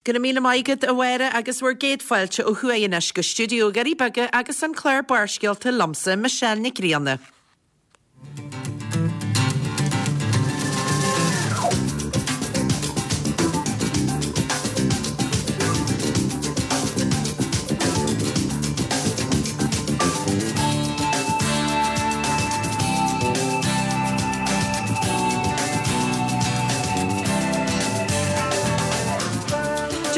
Go raibh míle maith agat, a Mháire, agus bhur gcéad fáilte ó thuaidh anois go stiúideo Dhoirí Beaga agus an clár Barrscéalta liomsa, Michelle Nic Grianna.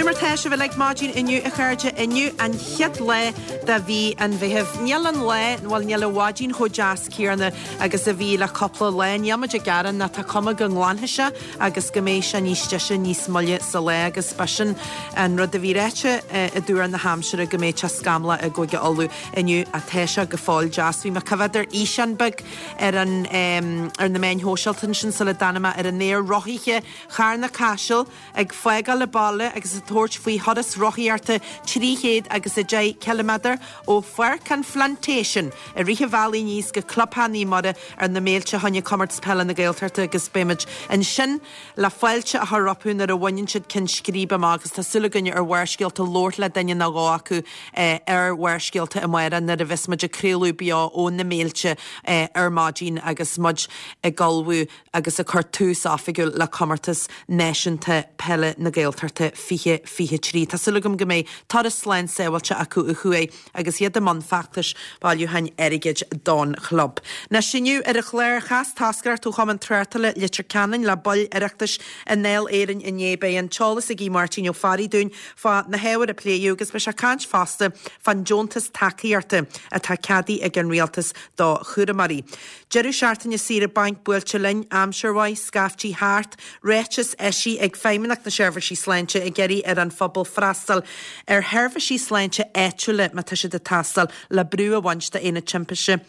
Cad é mar tá sibh uilig maidin inniu a chairde, inniu an chéad lá de mhí an Mheithimh. Níl an lá, bhuel níl an mhaidin chomh deas céanna agus a bhí le cúpla lá. Níl muid ag gearán ach tá cuma go nglanfaidh sé agus go mbeidh sé níos deise níos moille sa lá agus b'shin an rud a bhí ráite i dtuar na haimsire go mbeidh sé scamallach i gCúige Uladh inniu ach tá sé go fóill deas. Bhí mé ag coimhéad ar fhíseán beag ar an ar na meáin shóisialta ansin sula dtáinig mé ar an aer, rothaithe Charna Caiseal ag fágáil an bhaile agus ag tabhairt faoi thuras rothaíochta 310 ciliméadar ó Pháirc an Phlantation i rith an bhealaigh aníos go Clubtheach Naomh Muire ar na Méilte fá choinne Comórtas Peile na Gaeltachta agus beidh muid ansin le fáilte a chur rompu nuair a bhaineann siad ceann scríbe amach agus tá súil againne ar Bharrscéalta labhairt le duine nó dhó acu ar Bharrscéalta amárach nuair a bheas muid ag craoladh beo ó na Méilte ar maidin agus muid ag ullmhú agus ag cur tús oifigiúil le Comórtas Náisiúnta Peile na Gaeltachta 2023. Tá súil agam go mbeidh turas slán sábháilte acu ó thuaidh agus iad i mbun feachtais bailiúcháin airgid don chlub. Anois inniu ar an chlár, chas toscaireacht ó Chumann Tráchtála Leitir Ceanainn le baill Oireachtais i nDáil Éireann inné. Beidh an t-eolas ag Aodh Máirtín Ó Fearraigh dúinn fá na hábhair a pléadh agus beidh sé ag caint fosta fán deontas tacaíochta atá ceadaithe ag an Rialtas do chúramóirí. Deireadh seachtaine saoire bainc buailte linn, aimsir mhaith, scaiftí thart, ráiteas eisithe ag Feidhmeannacht na Seirbhísí Sláinte ag iarraidh ar an phobal freastal ar sheirbhísí sláinte áitiúla má tá siad ag teastáil le brú a bhaint d'Aonad Timpiste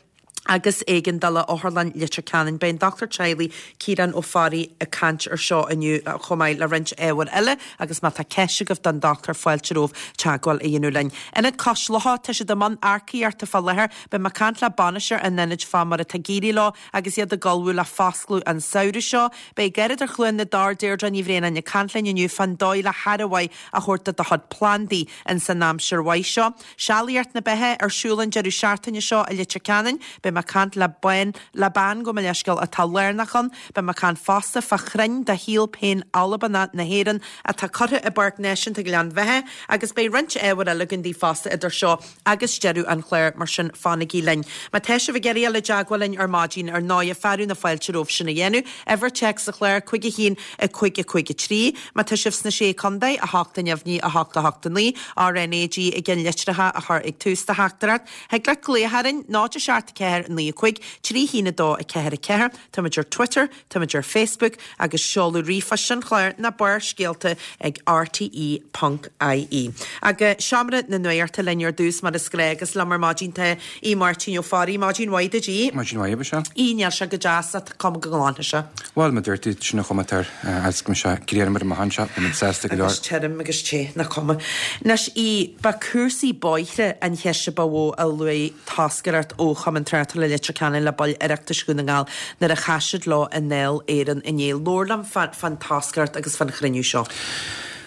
agus Éigeandála Otharlann Leitir Ceanainn. Beidh an Dochtúir Teaghlaigh Ciarán Ó Fearraigh ag caint ar seo inniu chomh maith le roinnt ábhair eile agus má tá ceist agaibh don dochtúir fáilte romhaibh teagmháil a dhéanamh linn. Ionad Cois Locha, tá siad i mbun earcaíochta fá láthair. Beidh mé ag caint le bainisteoir an ionaid fá mar atá ag éirí leo agus iad ag ullmhú le foscladh an samhradh seo. Beidh Garradóir Chluain na dTor, Deirdre Ní Bhraonáin ag caint linn inniu fán dóigh le haire mhaith a thabhairt do do chuid plandaí ins an aimsir mhaith seo. Sealaíocht na Beithe ar siúl an deireadh seachtaine seo i Leitir Ceanainn. Beidh mé ag caint le bean, le bean, gabh mo leithscéal, atá lárnach ann. Beidh mé ag caint fosta fá chrainn de shíol péin Albanach na hÉireann atá curtha i bPáirc Náisiúnta Ghleann Bheatha agus beidh roinnt ábhair eile againn daoibh fosta idir seo agus deireadh an chláir, mar sin fanaigí linn. Má tá sibh ag iarraidh dul i dteagmháil linn ar maidin, ar ndóighe, fearadh na fáilte romhaibh sin a dhéanamh. Uimhir téacs an chláir, 5 1 5 5 3. Má tá sibh sna Sé Contae, 8 neamhní 8 8 9, RnaG i gceannlitreacha a chur ag tús do theachtaireacht. Thig leat glaoch orainn, 0 7 4 9 5 3 1 2 4 4. Táimid ar Twitter, Táimid ar Facebook agus seoladh ríomhphoist an chláir ná Barrscéalta ag rte ponc ie. Go Seomra na Nuachta linn ar dtús mar is gnáth agus liom ar maidin tá Aodh Máirtín Ó Fearraigh. Maidin mhaith duit Aodh. Maidin mhaith a Mhichelle. Aodh, níl sé go deas ach tá cuma go nglanfaidh sé. Bhuel, mar a dúirt tú, sin an chuma atá air agus go mbeidh sé grianmhar amach anseo, beidh muid sásta go leor. Agus tirim agus te, nach cuma. Anois Aodh, ba cúrsaí bóithre an cheist a ba mhó a luaigh toscaireacht ó Chumann Tráchtála Leitir Ceanainn le baill Oireachtais Dhún na nGall nuair a chas siad leo i nDáil Éireann inné. Labhair liom fán toscaireacht agus fán chruinniú seo.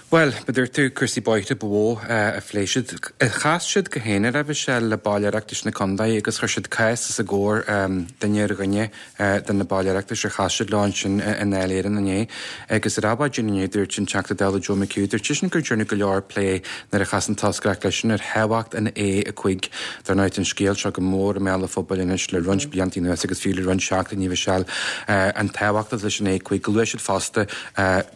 Bhuel, mar a dúirt tú, cúrsaí bóithre ba mhó a phléigh siad. Chas siad go haonair, a Mhichelle, le baill Oireachtais na contae agus chuir siad cás os a gcomhair, duine ar dhuine. de na baill Oireachtais ar chas siad leo ansin i nDáil Éireann inné. Agus ar maidin inné dúirt an Teachta Dála Joe McHugh, dúirt seisean gur dearnadh go leor plé nuair a chas an toscaireacht leisean ar thábhacht an A5. Dar ndóigh tá an scéal seo go mór i mbéal an phobail anois le roinnt blianta anuas agus fiú le roinnt seachtainí a Mhichelle, an tábhacht atá leis an A5. Luaigh siad fosta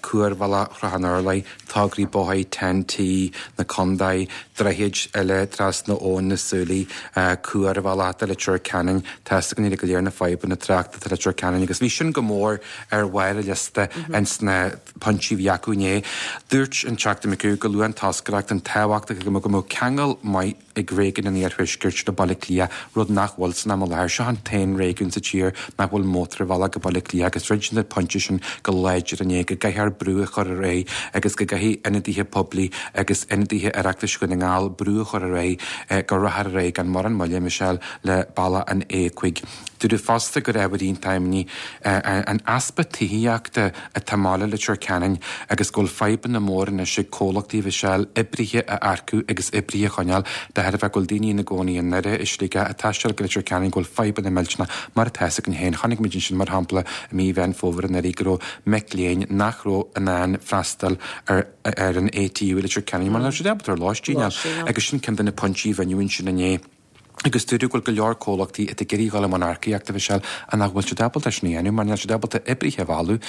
cuarbhealach Shrath an Urláir, tograí bóthair TEN-T na contae, droichid eile trasna Abhainn na Súilí, cuarbhealach do Leitir Ceanainn, tá's againn uilig go léir na fadhbanna tráchta atá i Leitir Ceanainn agus bhí sin go mór ar bharr an liosta ins na pointí a bhí acu inné. Dúirt an Teachta McHugh gur luaigh an toscaireacht an tábhacht go mbeadh ceangal maith ag réigiún an Iarthuaiscirt le Baile Átha Cliath, rud nach bhfuil san am i láthair. Seo an t-aon réigiún sa tír nach bhfuil mótarbhealach go Baile Átha Cliath agus rinne siad an pointe sin go láidir inné, go gcaithfear brú a chur ar aghaidh agus go gcaithfidh. Caithfidh ionadaithe poiblí agus ionadaithe Oireachtais Dhún na nGall brú a chur ar aghaidh go rachfar ar aghaidh gan mórán moille, Michelle, le bealach an A5. Dúradh fosta gur ábhar iontach imní an easpa tithíochta atá i mbaile Leitir Ceanainn agus go bhfuil fadhbanna móra anois ag comhlachtaí, Mhichelle, oibrithe a earcú agus oibrithe a choinneáil de thairbhe go bhfuil daoine ina gcónaí i nDoire, i Sligeach, ag taisteal go Leitir Ceanainn go bhfuil fadhbanna millteanna mar atá fhios againn féin. Chonaic muid ansin mar shampla i mí Mheán Fómhair anuraidh go raibh mic léinn nach raibh in ann freastal ar ar an ATU i Leitir Ceanainn mar nach raibh siad ábalta ar lóistín a fháil agus sin ceann de na pointí a rinneadh ansin inné. Agus dúradh go bhfuil go leor comhlachtaí atá ag iarraidh dhul i mbun earcaíochta, Mhichelle, ach nach bhfuil siad ábalta sin a dhéanamh mar níl siad ábalta oibrithe a mhealladh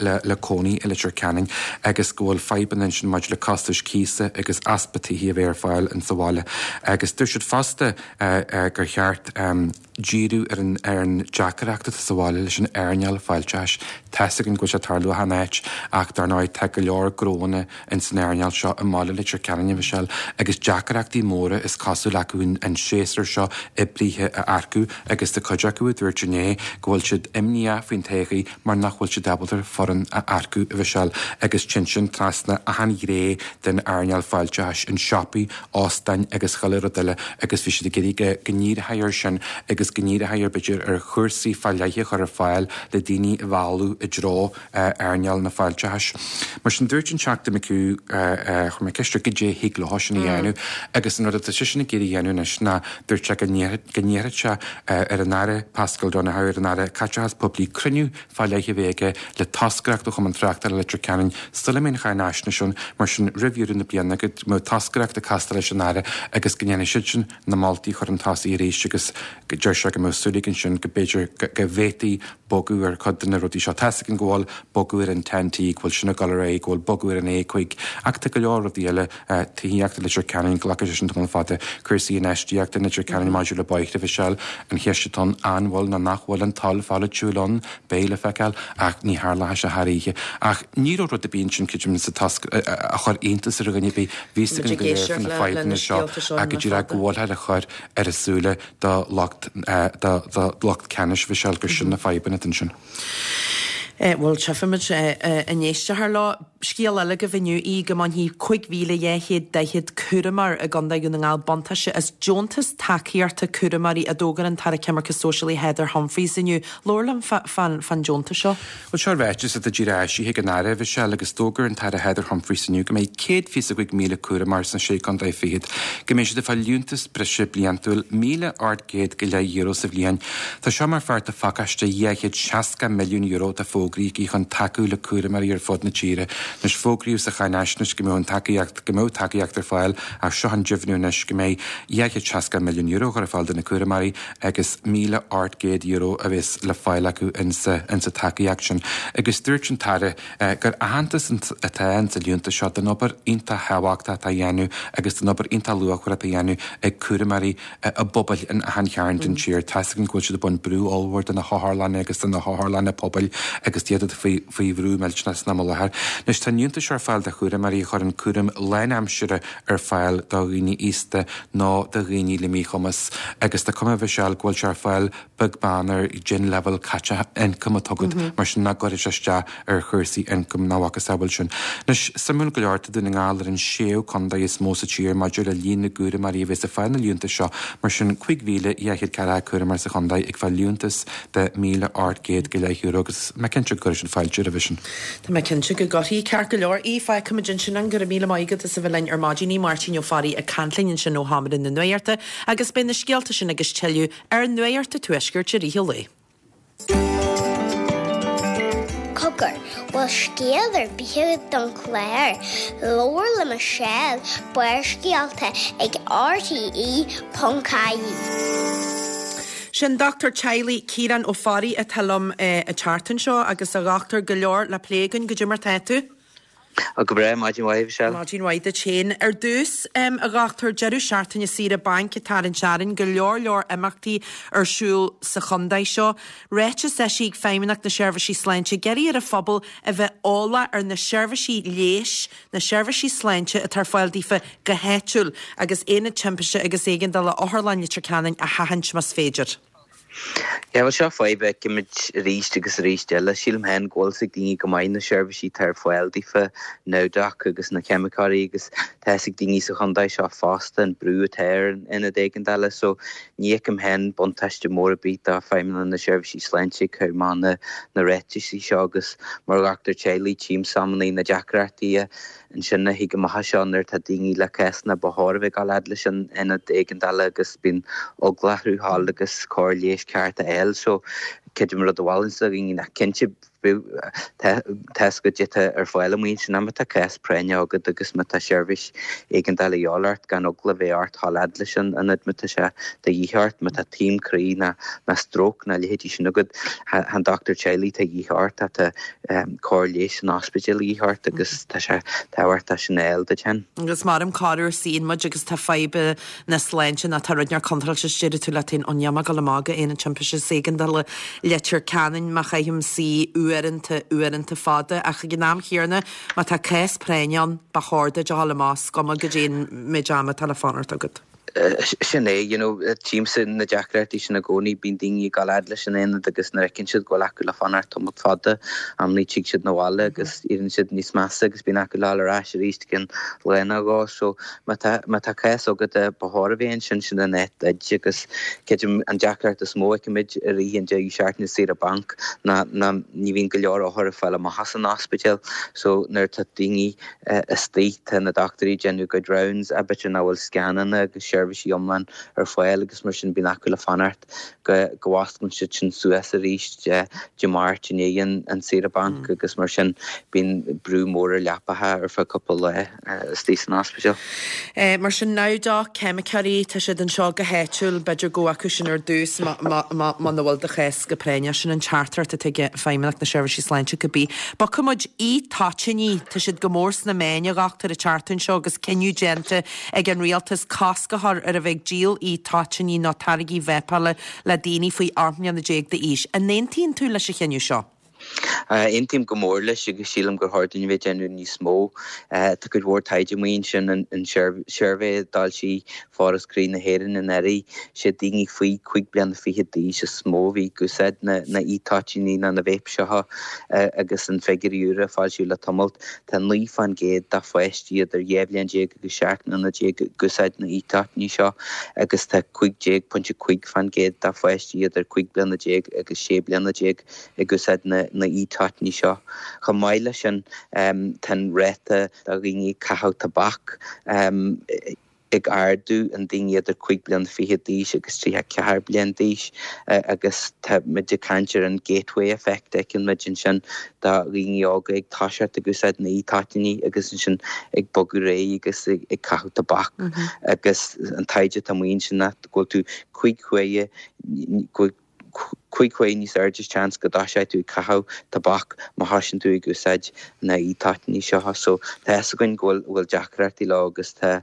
le le cónaí i Leitir Ceanainn agus go bhfuil fadhbanna ansin maidir le costais cíosa agus easpa tithe a bheith ar fáil in sa bhaile. Agus dúirt siad fosta gur cheart díriú ar an ar an deacracht atá sa bhaile leis an earnáil fáilteachais. Tá's againn go bhfuil sé ag tarlú achan áit ach dar ndóigh tá go leor gnóanna in san earnáil seo i mbaile Leitir Ceanainn, a Mhichelle, agus deacrachtaí móra is cosúil acu an séasúr seo oibrithe a earcú agus tá cuid acu a dúirt inné go bhfuil siad imníoch faoin todhchaí mar nach bhfuil siad ábalta foireann a earcú, a Mhichelle, agus téann sin trasna achan ghné den earnáil fáilteachais, an siopaí, óstáin agus chuile rud eile agus bhí siad ag iarraidh go ndíreofaí air sin agus go ndíreofaí ar b'fhéidir ar chúrsaí fá leith a chur ar fáil le daoine a mhealladh i dtreo earnáil na fáilteachais. Mar sin, dúirt an Teachta McHugh, chuir mé ceist air goidé a thig leo sin a dhéanamh agus an rud atá seisean ag iarraidh a dhéanamh anois ná dúirt sé go n-iarrfadh sé ar an Aire Paschal Donohoe, ar an Aire Caiteachais Poiblí cruinniú fá leith a bheith aige le toscaireacht ó Chumann Tráchtála Leitir Ceanainn sula mbeidh an cháinaisnéis ann, mar sin roimh dheireadh na bliana go mbeadh toscaireacht ag castáil leis an Aire agus go ndéanfaidh siadsan na moltaí a chur chun tosaigh arís agus deir sé go mbeadh súil aige ansin go b'fhéidir go bhféadfaí bogadh ar chuid de na rudaí seo. Tá's againn go bhfuil bogadh ar an TEN-T, go bhfuil sin ag dul ar aghaidh, go bhfuil bogadh ar an A5, ach tá go leor rudaí eile, tithíocht i Leitir Ceanainn, glacfaidh sé sin tamall fada, cúrsaí infheistíochta i Leitir Ceanainn maidir le bóithre, Mhichelle, an cheist atá ann, an bhfuil nó nach bhfuil an toil pholaitiúil ann, beidh le feiceáil, ach ní tharlóidh sé thar oíche. Ach ní raibh rud ar bith ansin, creidim, sa tost a chuir iontas ar dhuine ar bith, bhí fhios againn go léir faoi na fadhbanna seo ach go díreach go bhfuilthear á chur ar a súile do lucht do lucht ceannais Mhichelle gur sin na fadhbanna atá ansin. Bhuel, tchífimid an éisteofar leo. Scéal eile agaibh inniu í go mbainfidh 5,240 cúramóir i gContae Dhún na nGall buntáiste as deontas tacaíochta cúramóirí a d'fhógair an tAire Coimirce Sóisialaí Heather Humphreys inniu. Labhair liom fán deontas seo. Bhuel, seo ráiteas atá díreach eisithe ag an Aire, Mhichelle, agus d'fhógair an tAire Heather Humphreys inniu go mbeidh 125,000 cúramóir sna Sé Chontae Fichead, go mbeidh siad ag fáil liúntas breise bliantúil €1,800 go leith euro sa bhliain. Tá seo mar pháirt de phacáiste €260 milliún atá fógraithe aici chun tacú le cúramóirí ar fud na tíre. Anois, fógraíodh sa cháinaisnéis go mbeadh an tacaíocht, go mbeadh tacaíocht ar fáil ach seo an deimhniú anois go mbeidh €260 milliún á chur ar fáil do na cúramóirí. agus €1,800 a bheas le fáil acu insa tacaíocht sin. Agus dúirt an tAire gur aitheantas atá insa liúntas seo don obair iontach thábhachtach atá á dhéanamh agus don obair iontach luachmhar atá á dhéanamh ag cúramóirí i bpobail in achan chearn den tír. Tá's againn go bhfuil siad ag baint brú ollmhór de na hotharlanna agus de na hotharlanna pobail agus iad faoi bhrú millteanach san am i láthair. Anois tá an liúntas seo ar fáil do chúramóirí a chuireann cúram lánaimseartha ar fáil do dhaoine aosta nó do dhaoine le míchumas agus tá cuma Mhichelle go bhfuil sé ar fáil beag beann ar cén leibhéal caite ioncaim atá agat mar sin nach gcuirfidh sé isteach ar chúrsaí ioncaim ná a mhacasamhail sin. Anois, suimiúil go leor, tá Dún na nGall ar an séú contae is mó sa tír maidir le líon na gcúramóirí a bheas ag fáil na liúntais seo, mar sin 5,240 cúramóir sa chontae ag fáil liúntas de €1,800 go leith euro agus mé cinnte go gcuirfidh sin fáilte roimhe sin. Tá mé cinnte go gcuirfidh. Ceart go leor. Aodh, fágfaimid ansin é. Go raibh míle maith agat as a bheith linn ar maidin. Aodh Máirtín Ó Fearraigh ag caint linn ansin ó Sheomra na Nuachta agus beidh na scéalta sin agus tuilleadh ar Nuacht an Tuaiscirt i rith an lae. Cogar, bhfuil scéal ar bith agat don chlár? Labhair le Michelle, Barrscéalta ag RTÉ.ie. Sin Dochtúir Teaghlaigh Ciarán Ó Fearraigh atá liom an tseachtain seo agus a dhochtúir, go leor le plé againn. Goidé mar tá tú? Go breá, maidin mhaith, Michelle. Maidin mhaith duit féin. Ar dtús, a dhochtúir, deireadh seachtaine saoire bainc ag tarraingt orainn, go leor leor imeachtaí ar siúl sa chontae seo. Ráiteas eisithe ag Feidhmeannacht na Seirbhísí Sláinte ag iarraidh ar an phobal a bheith eolach ar na seirbhísí leighis, na seirbhísí sláinte atá ar fáil daofa go háitiúil agus Aonad Timpiste agus Éigeandála Otharlann Leitir Ceanainn a sheachaint más féidir. Yeah, bhuel seo fadhb a fheicimid arís agus arís eile. Sílim féin go bhfuil fhios ag daoine go maith na seirbhísí atá ar fáil daofa, Nowdoc agus na ceimiceoirí agus tá fhios ag daoine sa chontae seo fosta an brú atá ar an ionad éigeandála so ní fheicim féin buntáiste mór ar bith do Feidhmeannacht na Seirbhísí Sláinte ag cur amach na na ráitisí seo agus mar dhochtúir teaghlaigh tchím amannaí na deacrachtaí a Ansin a thig amach as seo nuair atá daoine le cásanna ba chóir a bheith ag dul fhad leis an ionad éigeandála agus bíonn eagla orthu dhul agus cóir leighis ceart a fháil. So creidim rud a mholfainnse do dhaoine ná cinnte tá fhios agat goidé atá ar fáil amuigh ansin má tá cás práinne agat agus má tá seirbhís éigeandála a dhíobháil ort gan eagla a bheith ort dhul fhad leis an ionad má tá sé de dhíth ort, má tá taom croí ná stróc ná leithéidí sin agat, chan dochtúir teaghlaigh atá de dhíth ort ach tá cóir leighis san ospidéal a dhíth ort agus tá sé tábhachtach sin a fháil duit féin. Agus maram corruair suíonn muid agus tá fadhb na sláinte nó tá rud inteacht contráilte is deireann tú leat féin, ó níl mé ag dul amach go Aonad Timpiste is Éigeandála Leitir Ceanainn má chaithim suí uaireanta, uaireanta fada. Ach ag an am chéanna, má tá cás práinne ann, ba chóir duit a dhul amach, is cuma goidé an méid ama atá le fanacht agat. Sin é, you know, tchímse na deacrachtaí sin i gcónaí, bíonn daoine ag dul fhad leis an aonad agus nuair a fheiceann siad go bhfuil acu le fanacht tamall fada, amannaí tig siad 'na bhaile agus éiríonn siad níos measa agus bíonn acu le dhul ar ais arís i gcionn lae nó dhó. So má tá, má tá cás agat ba chóir a bheith ansin, sin an áit duit agus creidim an deacracht is mó a fheicimid i rith an deireadh seachtaine saoire banc ná, ná ní bhíonn go leor othar ag fáil amach as an ospidéal so nuair atá daoine Istigh, tá na dochtúirí ag déanamh a gcuid rounds, b'fhéidir nach bhfuil scananna agus seirbhísí iomlán ar fáil agus mar sin bíonn acu le fanacht go go bhfosclaíonn siad sin suas arís Dé Máirt i ndiaidh an saoire banc agus mar sin bíonn brú mór ar leapacha ar feadh cúpla lá istigh san ospidéal. Mar sin, Nowdoc, ceimiceoirí, tá siad anseo go háitiúil, b'fhéidir gabh chucu sin ar dtús muna bhfuil do chás go práinneach. Sin an teachtaireacht atá ag Feidhmeannacht na Seirbhísí Sláinte cibé. Bogfaidh muid e-toitíní, tá siad go mór sna meáin a dhochtúir an tseachtain seo agus cinneadh déanta ag an rialtas cosc a chur ar a bheith ag díol e-toitíní nó táirgí vápála le daoine faoi 18 mbliana d'aois. An aontaíonn tú leis an chinneadh seo? Aontaím go mór leis agus sílim gur chóir dúinn a bheith ag déanamh níos mó. Tá cuid mhór taighde amuigh ansin, an suirbhé a d'fhoilsigh Foras Croí na hÉireann anuraidh, siad daoine faoi chúig bliana fichead d'aois is mó a bhí ag úsáid na e-toitíní nó na vape seo agus an figiúirí úra a foilsíodh le tamalt, tá 9 fán gcéad de pháistí idir 12 bhliain agus 17 mbliana ag úsáid na e-toitíní seo agus tá 15.5 fán gcéad de pháistí idir 15 bliana agus 16 bliana ag úsáid na e-toitíní seo. Chomh maith leis sin, tá an ráta do dhaoine ag caitheamh tobac ag ardú in daoine idir 5 bliana fichead d'aois agus 34 bliain d'aois agus tá muid ag caint ar an gateway effect a fheiceann muid ansin do dhaoine óga ag toiseacht ag úsáid na e-toitíní agus ansin ag bogadh ar aghaidh agus ag caitheamh tobac agus an taighde atá amuigh ansin ná go bhfuil tú 5 huaire go 5 huaire níos airde seans go dtoiseoidh tú ag caitheamh tobac má thosaíonn tú ag úsáid na e-toitíní seo. So tá fhios againn go bhfuil bhfuil deacrachtaí leo agus tá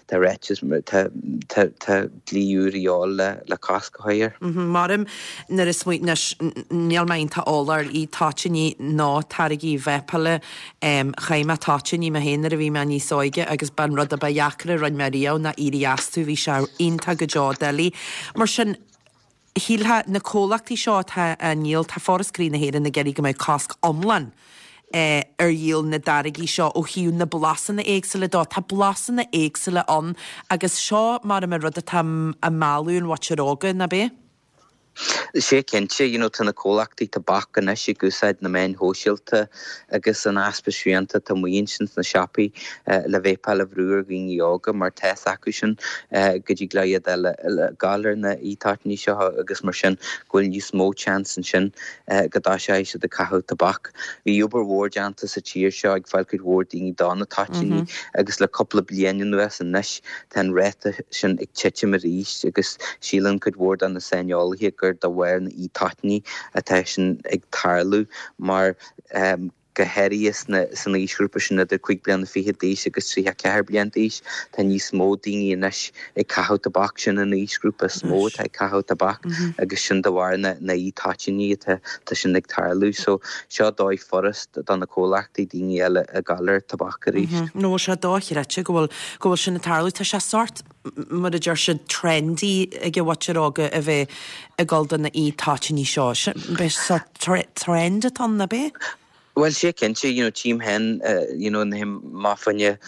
tá ráiteas tá tá tá dlí úr a dhíobháil le le cosc a chur air. Maram nuair a smaoin anois níl mé iontach eolach ar e-toitíní nó táirgí vápála. Chaith mé toitíní mé féin nuair a bhí mé níos óige agus b'an rud a ba dheacra a rinne mé riamh ná éirí astu, bhí sé iontach go deo doiligh. Mar sin Shílfeá, na comhlachtaí seo atá á ndíol, tá Foras Croí na hÉireann ag iarraidh go mbeadh cosc iomlán ar dhíol na dtáirgí seo ó thaobh na blasanna éagsúla dó. Tá blasanna éagsúla ann agus seo mar an rud atá ag mealladh an mhuintir óga, nach b'é? Sea cinnte, you know tá na comhlachtaí tobac anois ag úsáid na meáin shóisialta agus an easpa srianta atá amuigh ansin sna siopaí le vapáil a bhrú ar dhaoine óga mar tá fhios acu sin go dtig leo iad a ghabháil ar na e-toitíní seo agus mar sin go bhfuil níos mó chance ansin go dtoiseoidh siad ag caitheamh tobac. Bhí obair mhór déanta sa tír seo ag fáil cuid mhór daoine do na toitíní agus le cúpla bliain anuas anois tá an ráta sin ag titim arís agus síleann cuid mhór de na saineolaithe gur de bharr na e-toitíní atá sin ag tarlú mar go háirithe san aoisghrúpa sin idir 5 bliana fichead d'aois agus 34 bliain d'aois. Tá níos mó daoine anois ag caitheamh tobac, sin an aoisghrúpa is mó atá ag caitheamh tobac agus sin de bharr na e-toitíní atá sin ag tarlú. So seo dóigh furast do na comhlachtaí daoine eile a ghabháil ar tobac arís. Nó bhfuil sé dochreidte go bhfuil go bhfuil sin ag tarlú. Tá sé sórt. mar a deir siad, trendy ag an mhuintir óga a bheith ag dul do na e-toitíní seo. B'é sórt trend atá ann, ab é? Bhuel, sea, cinnte, you know, tchím féin, you know, nuair a théim amach fá choinne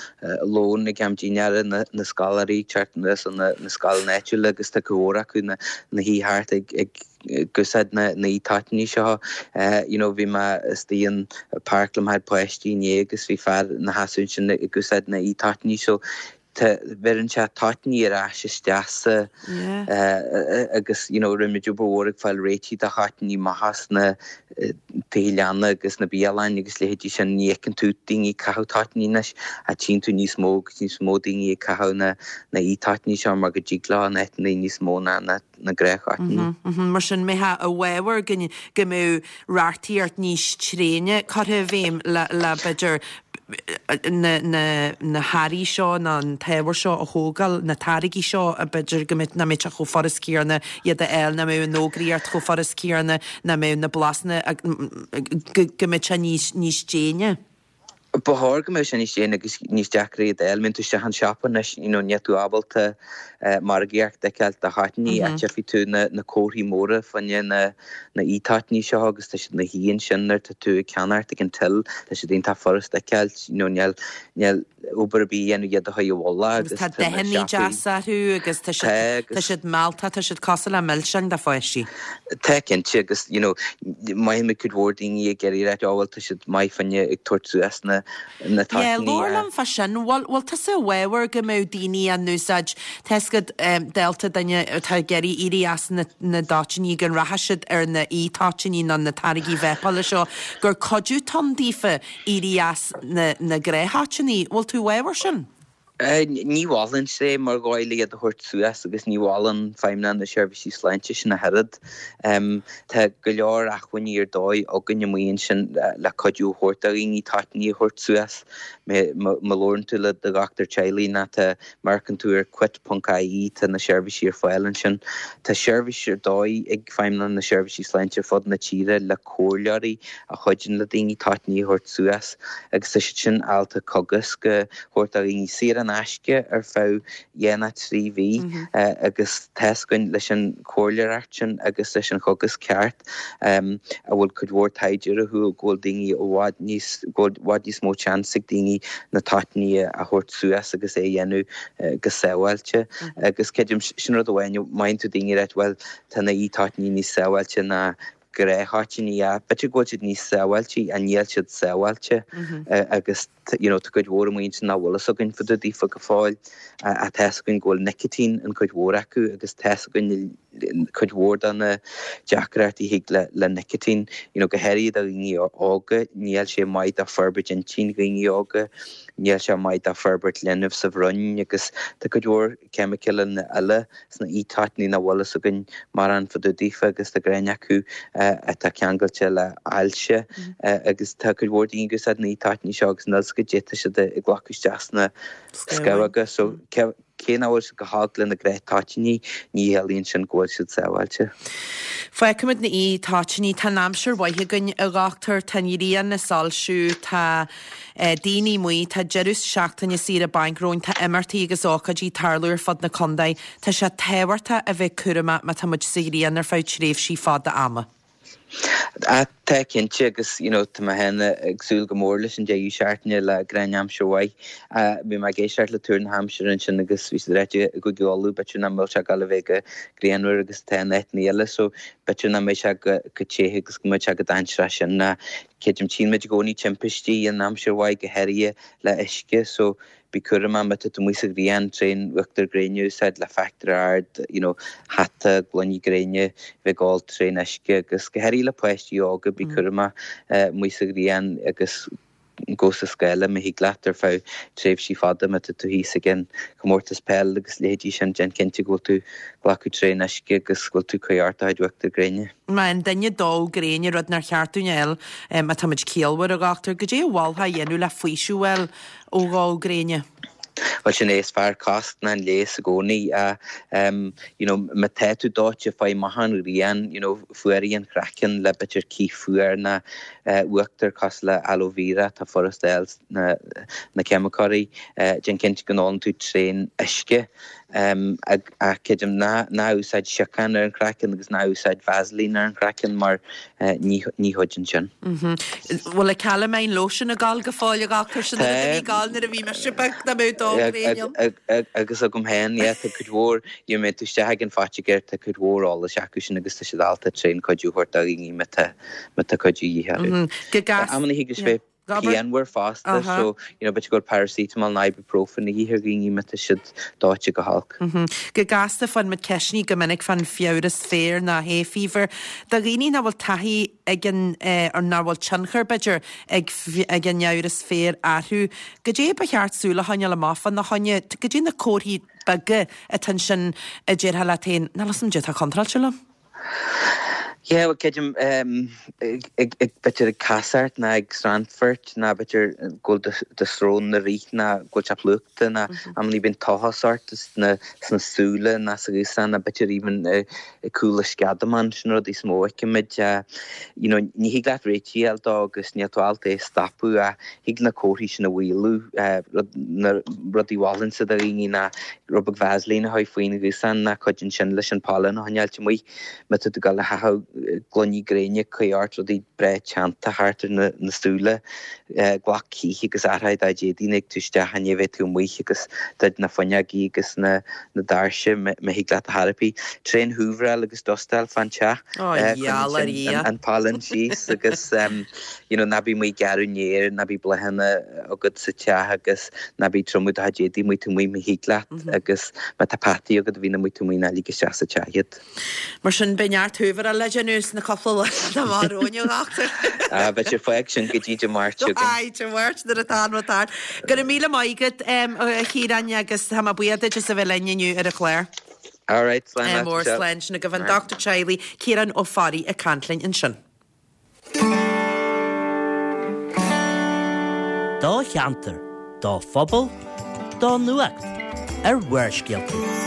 lón ag am dinnéara, na, na scoláirí ag teacht anuas ó na, na scoileanna áitiúla agus tá cuid mhór acu ina, ina shuí thart ag, ag, ag úsáid na, na e-toitíní seo. You know, bhí mé istigh in páirc le mo chuid páistí inné agus bhí fear ina sheasamh ansin ag úsáid na e-toitíní so, Tá, bheireann sé toitíní ar ais isteach sa agus you know rinne muid obair mhór ag fáil réitigh do thoitíní maithe sna tithe leanna agus na bialanna agus leithéidí sin. Ní fheiceann tú daoine ag caitheamh toitíní anois ach tchíonn tú níos mó agus níos mó daoine ag caitheamh na na e-toitíní seo mar go dtig leo in áiteanna níos mó ná na na gnáth-thoitíní. Mar sin, mbeifeá i bhfabhar go go mbeadh reachtaíocht níos tréine curtha i bhfeidhm le le b'fhéidir na na na hearraí seo nó an t-ábhar seo a thógáil, na táirgí seo b'fhéidir go mbeadh nach mbeadh sé chomh furast céanna iad a fháil, nach mbeadh an fhógraíocht chomh furast céanna, nach mbeadh na blasanna go go mbeadh sé níos níos déine. Ba chóir go mbeadh sé níos déine agus níos deacra iad a fháil. Má théann tú isteach an siopa anois, you know, níl tú ábalta margaíocht a fheiceáil do thoitíní ach tchífidh tú na na comharthaí móra fá choinne na na e-toitíní seo agus tá siad ina shuí ansin nuair atá tú ag ceannacht ag an till, tá siad iontach furast a fheiceáil, you know, níl níl obair ar bith a dhéanamh iad a chur i bhfolach Agus tá dathanna deasa orthu agus tá siad tá siad mealltach, tá siad cosúil le milseáin do pháistí. Tá cinnte agus you know mothaíonn cuid mhór daoine ag iarraidh a ráit oh bhuel tá siad maith fá choinne ag tabhairt suas na na Yeah, toitíní labhair liom fá sin. Bhfuil bhfuil tusa i bhfabhar go mbeadh daoine á n-úsáid, tá 'fhios agat dálta duine atá ag iarraidh éirí as na na toitíní go rachadh siad ar na e-toitíní nó na táirgí vepeála seo gur cuidiú atá ann daofa éirí as na na gnáth-thoitíní. Bhfuil tú i bhfabhar sin? Ní mholfainnse é mar dhóigh le iad a thabhairt suas agus ní mholann Feidhmeannacht na Seirbhísí Sláinte sin ach oiread. Tá go leor acmhainní ar dóigh againn amuigh ansin le cuidiú a thabhairt do dhaoine toitíní a thabhairt suas. Má labhrann tú le do dhochtúir teaghlaigh nó tá, má amharcann tú ar quit ponc ie tá na seirbhísí ar fáil ansin. Tá seirbhís ar dóigh ag Feidhmeannacht na Seirbhísí Sláinte ar fud na tíre le comhairleoirí a chuidíonn le daoine toitíní a thabhairt suas agus tá siad sin ábalta cogasc a thabhairt do dhaoine saor in aisce ar feadh dhá nó 3 mhí agus tá's againn leis an chomhairleoireacht sin agus leis an chogasc ceart a bhfuil cuid mhór taighde orthu go bhfuil daoine i bhfad níos, go bhfuil i bhfad níos mó seans ag daoine na toitíní a thabhairt suas agus é a dhéanamh go sábháilte agus creidim sin rud amháin, mothaíonn tú daoine ag ráit bhuel tá na e-toitíní níos sábháilte ná gnáth-thoitíní b'fhéidir go bhfuil siad níos sábháilte ach níl siad sábháilte agus you know tá cuid mhór amuigh ansin nach bhfuil fhios againn fá dtaobh daofa go fóill ach tá's againn go bhfuil nicotine in cuid mhór acu agus tá's againn cuid mhór de na deacrachtaí a thig le le nicotine you know go háirithe do dhaoine óga níl sé maith do forbairt intinn dhaoine óga níl sé maith do forbairt linbh sa bhroinn agus tá cuid mhór ceimiceáin eile sna e-toitíní nach bhfuil fhios againn mórán fá dtaobh daofa agus tá gnáth acu atá ceangailte le ailse agus tá cuid mhór daoine ag úsáid na e-toitíní seo agus níl fhios acu caidé atá siad ag glacadh isteach sna scamhóga so cé nach bhfuil siad go holc le na gnáth-toitíní ní chiallaíonn sin go bhfuil siad sábháilte. Fágfaimid na e-toitíní, tá an aimsir mhaith againn a dhochtúir, tá an ghrian ag soilsiú, tá. Daoine amuigh, tá deireadh seachtaine saoire bainc romhainn, tá imeachtaí agus ócáidí ag tarlú ar fud na contae. Tá sé tábhachtach a bheith cúramach má tá muid sa ghrian ar feadh tréimhsí fada ama. Tá cinnte agus you know tá mé féin ag súil go mór leis an deireadh seachtaine le gnáth-aimsir mhaith. Bhí mé ag éisteacht le tuar na haimsire ansin agus bhí siad ag ráit i gCúige Uladh b'fhéidir nach mbeadh sé ag dul a bheith chomh grianmhar agus atá in áiteanna eile so b'fhéidir nach mbeidh sé chomh te agus go mbeidh sé chomh dainséarach sin. Creidim, tchíonn muid i gcónaí timpistí in aimsir mhaith, go háirithe le uisce, so bí cúramach má tá tú amuigh sa ghrian, tréan uachtar gréine a úsáid le factor ard, you know, hata, gloiní gréine, bheith ag ól tréan uisce agus go háirithe le páistí óga, bí cúramach amuigh sa ghrian agus gabh sa scáile má thig leat ar feadh tréimhsí fada má tá tú thíos ag an chomórtas peil agus leithéidí sin, déan cinnte go bhfuil tú ag glacadh tréan uisce agus go bhfuil tú ag cur ort do chuid uachtar gréine. Má fhaigheann duine dó gréine, rud nár cheart dúinn a fháil má tá muid ciallmhar, a dhochtúir, goidé a mholfá a dhéanamh le faoiseamh a fháil ó dhó gréine? Bhuel, sin é, is fearr cosc ná an leigheas i gcónaí. You know, má tá tú dóite, faigh amach ón ghrian, you know, fuaraigh an craiceann le b'fhéidir cith fuar ná uachtar cosúil le aloe vera, atá furast a fháil sna ceimiceoirí. Déan cinnte go n-ólann tú tréan uisce. Ach creidim, ná úsáid siocán ar an chraiceann agus ná úsáid Vaseline ar an chraiceann mar ní chuidíonn sin. Bhfuil an calamine lotion ag gabháil go fóill a dhochtúir? Sin an rud a bhí ag gabháil nuair a bhí mise beag dá mbeadh dó gréine ann. Agus agam féin, yeah, tá cuid mhór, you know, má théann tú isteach ag an phoitigéir, tá cuid mhór eolais acu sin agus tá siad ábalta tréan cuidiú a thabhairt do dhaoine má tá, má tá cuidiú de dhíth orthu. Go gasta. Amanna thig leis bheith pianmhar fosta so you know b'fhéidir go bhfuil paracetamol nó ibuprofen de dhíth ar dhaoine má tá siad dóite go holc. Go gasta faigheann muid ceisteanna go minic fán fiabhras féir nó hay fever. Do dhaoine nach bhfuil taithí ag an or nach bhfuil tionchar b'fhéidir ag ag an fhiabhras féir orthu, goidé ba cheart súil a choinneáil amach fána choinne, goidé na comharthaí beaga atá ansin a déarfá leat féin, níl 'fhios a'm goidé atá contráilte liom? Yeah, bhuel, creidim, ag, b'fhéidir ag casacht ná ag srannfairt ná b'fhéidir go bhfuil do srón ag rith ná go bhfuil sé plúchta ná amannaí bíonn tochas ort sna súile ná sa ghiúsán ná b'fhéidir even ag cúl an sceadamán, sin rudaí is mó a fheicimid. You know, ní thig leat réiteach a fháil dó agus níl tú ábalta é a stopadh ach thig na comharthaí sin a mhaolú. Na rudaí a mholfainnse do dhaoine ná Rud beag Vaseline a chur faoin ghiúsán ná cuidíonn sin leis an pollen a choinneáilt amuigh. Má tá tú ag dul a chaitheamh gloiní gréine, cuir ort rudaí breá teannta thart ar na súile. Glac cith agus athraigh do d'éadaí nuair a thig tú isteach i ndiaidh a bheith tú amuigh agus druid na fuinneogaí agus na doirse má thig leat ar chor ar bith. Tréan húvaráil agus dustáil fán teach. Coinníonn sin an pollen síos agus you know ná bí amuigh ag gearradh an fhéir, ná bí bláthanna agat sa teach agus ná bí ag triomú do chuid éadaí amuigh taobh amuigh má thig leat agus má tá peataí agat a bhíonn amuigh taobh amuigh ná lig isteach sa teach iad. Mar sin beidh neart húvaráil le déanamh sna cúpla lá atá amach romhainn, a dhochtúir. Ah, beidh sé fág sin go dtí Dé Máirt chugainn. Aye, Dé Máirt nuair atá an rud thart. Go raibh míle maith agat, a Chiaráin, agus tá mé buíoch duit as a bheith linn inniu ar an chlár. All right, slán leat, Mór slán sin agaibh an dochtúir teaghlaigh, Ciarán Ó Fearraigh ag caint linn ansin. Do cheantar, do phobal, do nuacht ar Bharrscéalta.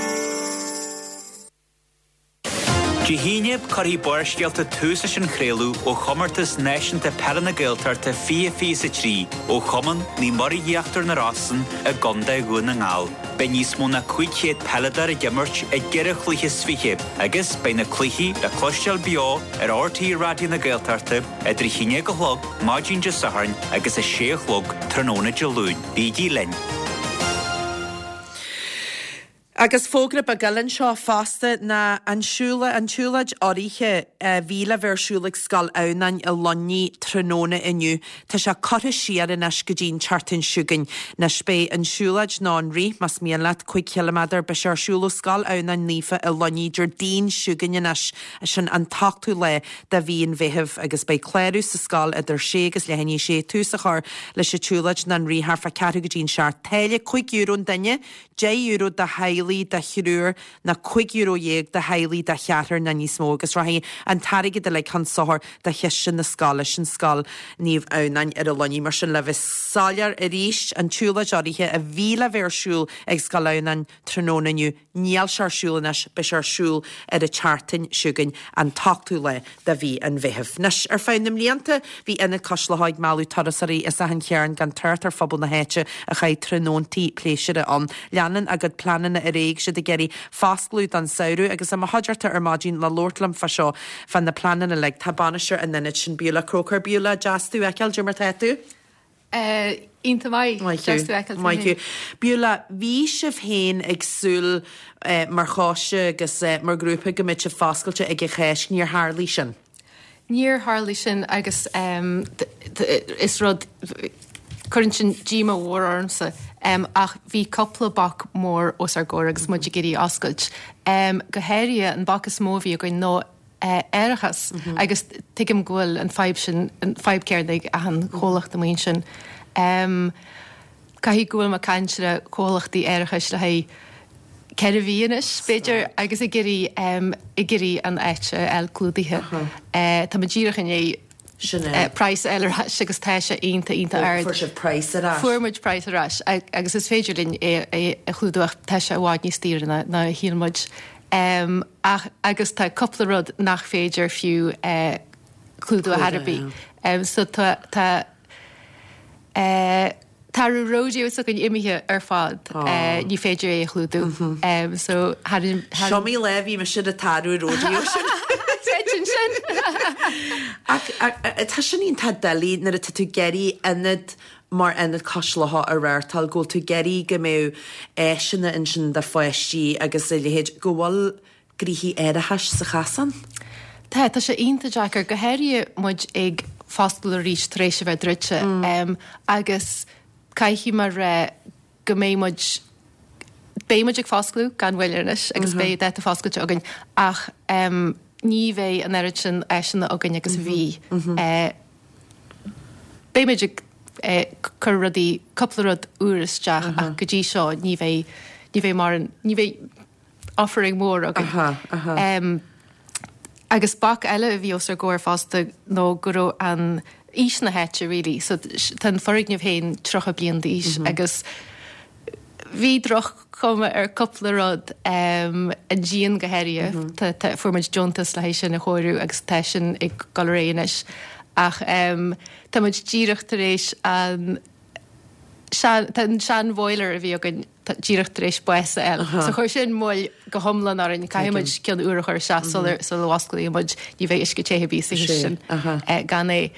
Dé hAoine, cuirfidh Barrscéalta tús leis an chraoladh ó Chomórtas Náisiúnta Peile na Gaeltachta 2023 ó Chumann Naomh Muire Íochtar na Rosann i gContae Dhún na nGall. Beidh níos mó ná 500 peileadóir ag imirt i gceithre chluiche is fiche agus beidh na cluichí le cloisteáil beo ar RTÉ Raidió na Gaeltachta idir 11 a chlog maidin Dé Sathairn agus 6 a chlog tráthnóna Dé Luain. Bígí linn! Agus fógra beag eile anseo fosta ná an siúlóid, an tsiúlóid urraithe a bhí le bheith ar siúl ag Scoil Adhamhnáin i Luimnigh tráthnóna inniu, tá sé curtha siar anois go dtí an tseachtain seo chugainn. Anois beidh an siúlóid, nó an rith más mian leat, 5 chiliméadar, beidh sé ar siúl ó Scoil Adhamhnáin Naofa i Luimnigh Déardaoin seo chugainn anois. Sin an t-ochtú lá de mhí an Mheithimh agus beidh clárú sa scoil idir sé agus leath i ndiaidh a sé. Tús a chur leis an tsiúlóid nó an rith thart fá ceathrú go dtí an seacht. Táille €5 an duine, €10 do theaghlaigh de thriúr nó €15 do theaghlaigh de cheathrar nó níos mó agus rachaidh an t-airgead uilig chun sochair do chiste na scoile, sin Scoil Naomh Adhamhnáin ar an Luinnigh. Mar sin le bheith soiléir arís, an tsiúlóid urraithe a bhí le bheith ar siúl ag Scoil Adhamhnáin tráthnóna inniu, Níl sé ar siúl anois, beidh sé ar siúl ar an tseachtain seo chugainn, an t-ochtú lá de mhí an Mheithimh. Anois, ar feadh na mblianta, bhí Ionad Cois Locha ag mealladh turasóirí as achan chearn gan trácht ar phobal na háite a chaith tráthnóntaí pléisiúrtha ann. Leanann a gcuid pleananna ar aghaidh, siad ag iarraidh foscladh don samhradh agus i mo chuideachta ar maidin le labhairt liom fá seo, fá na pleananna uilig, tá bainisteoir an ionaid sin, Beulah Croker. Beulah, deas tú a fheiceáil, cad é mar tá tú? Iontach maith. Maith Deas thú. tú a fheiceáil tú Maith féin. thú. Beulah, bhí sibh féin ag súil mar choiste agus mar ghrúpa go mbeadh sibh foscailte ag an Cháisc. Níor tharlaigh sin. Níor tharlaigh sin agus is rud, cuireann sin díomá mhór ormsa ach bhí cúpla bac mór os ár gcomhair agus muid ag iarraidh oscailt. Go háirithe an bac is mó a bhí againn ná árachas agus tuigim go bhfuil an fadhb sin, an fadhb céarna ag achan chomhlacht amuigh ansin. Caithfidh go bhfuil mé ag caint le comhlachtaí árachais le haghaidh 4 mhí anois, b'fhéidir, agus ag iarraidh, ag iarraidh an áit a fháil clúdaithe. Tá mé díreach i ndiaidh praghas a fháil ar ais agus tá sé iontach, iontach ard. Fuair sibh praghas ar ais? Fuair muid praghas ar ais agus is féidir linn é a chlúdú ach tá sé i bhfad níos daoire ná a shíl muid. Ach, agus tá cúpla rud nach féidir fiú clúdú ar chor ar bith. So tá, tá. Taradh rodeo s'againn imithe ar fad, ní féidir é a chlúdú. So tharraing. Is iomaí lá a bhí mise ar an taradh rodeo sin. Creidim sin! Ach tá sin iontach doiligh nuair atá tú ag iarraidh ionad mar Ionad Cois Locha a reáchtáil, go bhfuil tú ag iarraidh go mbeadh áiseanna ansin do pháistí agus a leithéid, go bhfuil gnoithí árachais sa chasán. Tá, tá sé iontach deacair, go háirithe muid ag foscladh arís tar éis a bheith druidte agus caithfidh mé a rá go mbeidh muid, beidh muid ag foscladh gan mhoill anois agus beidh dáta foscailte againn ach ní bheidh an oiread sin áiseanna againn agus a bhí. Beidh muid ag cur rudaí, cúpla rud úr isteach ach go dtí seo ní bheidh, ní bheidh mórán, ní bheidh, offering mór againn. Agus bac eile a bhí os ár gcomhair fosta nó go raibh an aois na háite really, so tá an foirgneamh féin 30 bliain d'aois agus bhí droch-chuma ar cúpla rud, an díon go háirithe, tá, fuair muid deontas le haghaidh sin a chóiriú agus tá sin ag dul ar aghaidh anois. Ach tá muid díreach tar éis an sean, tá an sean-bhoiler a bhí againn, díreach tar éis bás a fháil. So chuir sin moill go hiomlán orainn. Caithfidh muid ceann úr a chur isteach sula sula bhfosclaíonn muid. Ní bheidh uisce te ar bith sa chistin gan é.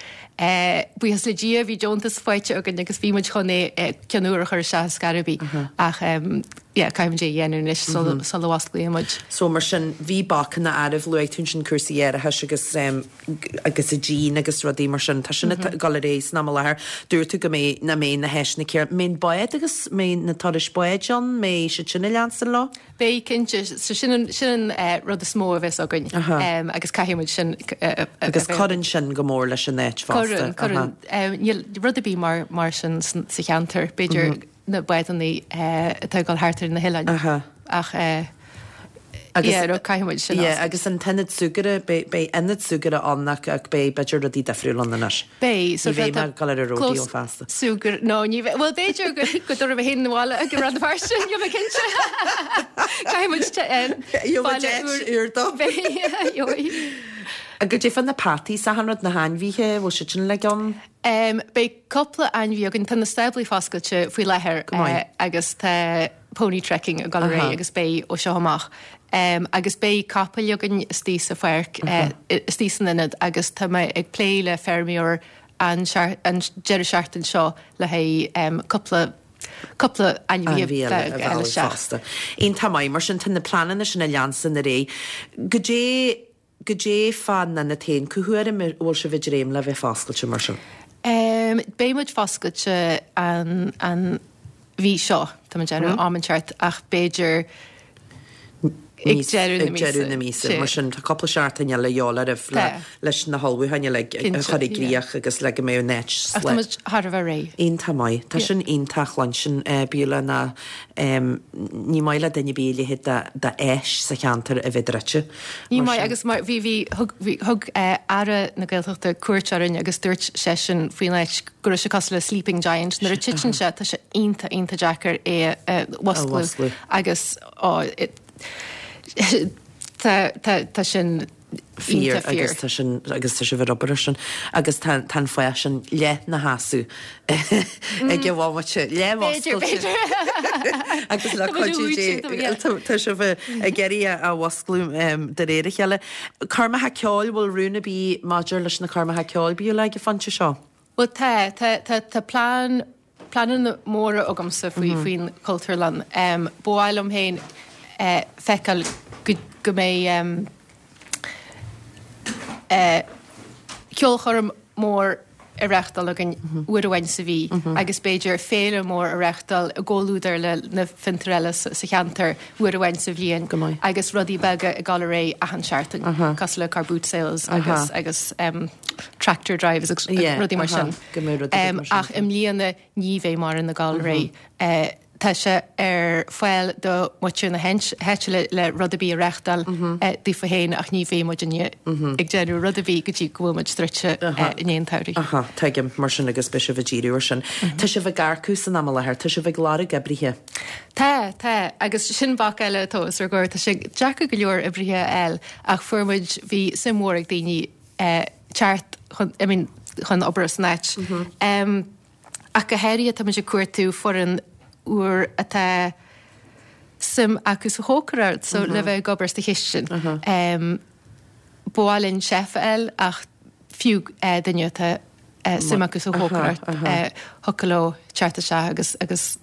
Buíochas le Dia bhí deontas faighte againn agus bhí muid chun é ceann úr a chur isteach ar scor ar bith. Ach yeah caithfidh muid é a dhéanamh anois sula sula bhfosclaíonn muid. So mar sin bhí bacanna áirithe, luaigh tú ansin cúrsaí árachais agus agus an díon agus rudaí mar sin. Tá sin ag dul ar aghaidh san am i láthair. Dúirt tú go mbeidh, nach mbeidh na háiseanna céanna. Mbeidh an bád agus mbeidh na turais báid ann, mbeidh siad sin ag leanstan leo? Beidh, cinnte. So sin an, sin an rud is mó a bheas againn agus caithfidh muid sin a Agus cuireann sin go mór leis an áit fosta. Cuireann, cuireann. Níl rud ar bith mar, mar sin sa cheantar. B'fhéidir na bádanna atá ag dul thart ar na hoileáin. Ach yeah, no, caithfidh muid sin a Yeah, agus an t-ionad súgartha, beidh, beidh ionad súgartha ann ach, ach beidh b'fhéidir rudaí difriúil ann anois. Beidh, so Ní bheidh mé ag dul ar an rodeo feasta. Súgar, no, ní bheidh, bhuel b'fhéidir go, go dtabharfaidh mé féin abhaile go Rann na Feirste, níl mé cinnte. Caithfidh muid te, Gheobhaidh deis úr dó. Beidh, gheobhaidh. Goidé fá na peataí is achan rud, na hainmhithe, bhfuil siad sin uilig ann? Beidh cúpla ainmhí againn. Tá na stáblaí foscailte faoi láthair agus tá pony trekking ag dul ar aghaidh agus beidh ó seo amach. Agus beidh capaill againn istigh sa pháirc, istigh san ionad agus tá mé ag plé le feirmeoir an deireadh seachtain seo le haghaidh cúpla cúpla ainmhí a mhealladh fosta. Iontach maith. Mar sin tá na pleananna sin ag leanstan ar aghaidh. Goidé Goidé fán ionad féin, cá huair a bhfuil sibh ag dréim le bheith foscailte mar sin? Beidh muid foscailte an an mhí seo, tá mé ag déanamh am inteacht ach b'fhéidir ag deireadh na míosa. Ag deireadh na míosa, mar sin tá cúpla seachtain eile a dhíobháil oraibh leis na hullmhúcháin uilig a chur i gcrích agus le go mbeidh an áit Ach tá muid thar a bheith réidh. Iontach maith. Tá sin iontach a chluinstin, Beulah, ná ní maith le duine ar bith a leithéid d'áis sa cheantar a bheith druidte. Ní maith agus mar bhí bhí thug bhí thug Aire na Gaeltachta cuairt orainn agus dúirt seisean faoin áit go raibh sé cosúil le sleeping giant nuair a titeann sé tá sé iontach iontach deacair é a mhusclú agus ó tá tá tá sin fíor agus tá sin agus tá sibh ar obair ar sin agus tá tá an fáth sin leath na sheasamh ag an bhomaite leath mhuscailte agus le cuidiú Dé tá sibh ag iarraidh a mhusclú de réir a chéile. Coirmeacha ceoil, bhfuil rún ar bith maidir leis na coirmeacha ceoil Beulah ag an phointe seo? Bhuel tá, tá, tá, tá plean, pleananna móra agamsa faoi, faoin Chultúrlann. Ba mhaith liom féin feiceáil go, go mbeidh ceolchoirm mór a reáchtáil againn uair amháin sa mhí agus b'fhéidir féile mór a reáchtáil i gcomhluadar le na fiontair eile sa cheantar uair amháin sa bhliain agus rudaí beaga ag dul ar aghaidh achan seachtain cosúil le car boot sales agus agus tractor drives agus rudaí mar sin. Ach i mbliana ní bheidh mórán ag dul ar aghaidh. Tá sé ar fáil do mhuintir na háite le rud ar bith a reáchtáil daofa féin ach ní bheidh muidinne ag déanamh rud ar bith go dtí go bhfuil muid druidte i ndiaidh an tsamhraidh. Aha, tuigim, mar sin agus beidh sibh ag díriú ar sin. Tá sibh ag earcú san am i láthair, tá sibh ag lorg oibrithe. Tá, tá, agus sin bac eile atá os ár gcomhair. Tá sé deacair go leor oibrithe a fháil ach fuair muid, bhí suim mhór ag daoine teacht chun, I mean, chun obair san áit. Ach go háirithe tá muid ag cuartú foireann úr atá suim acu sa chócaireacht, so le bheith ag obair sa chistin. Ba mhaith linn chef a fháil ach fiú duine atá suim acu sa chócaireacht, thiocfadh leo teacht isteach agus agus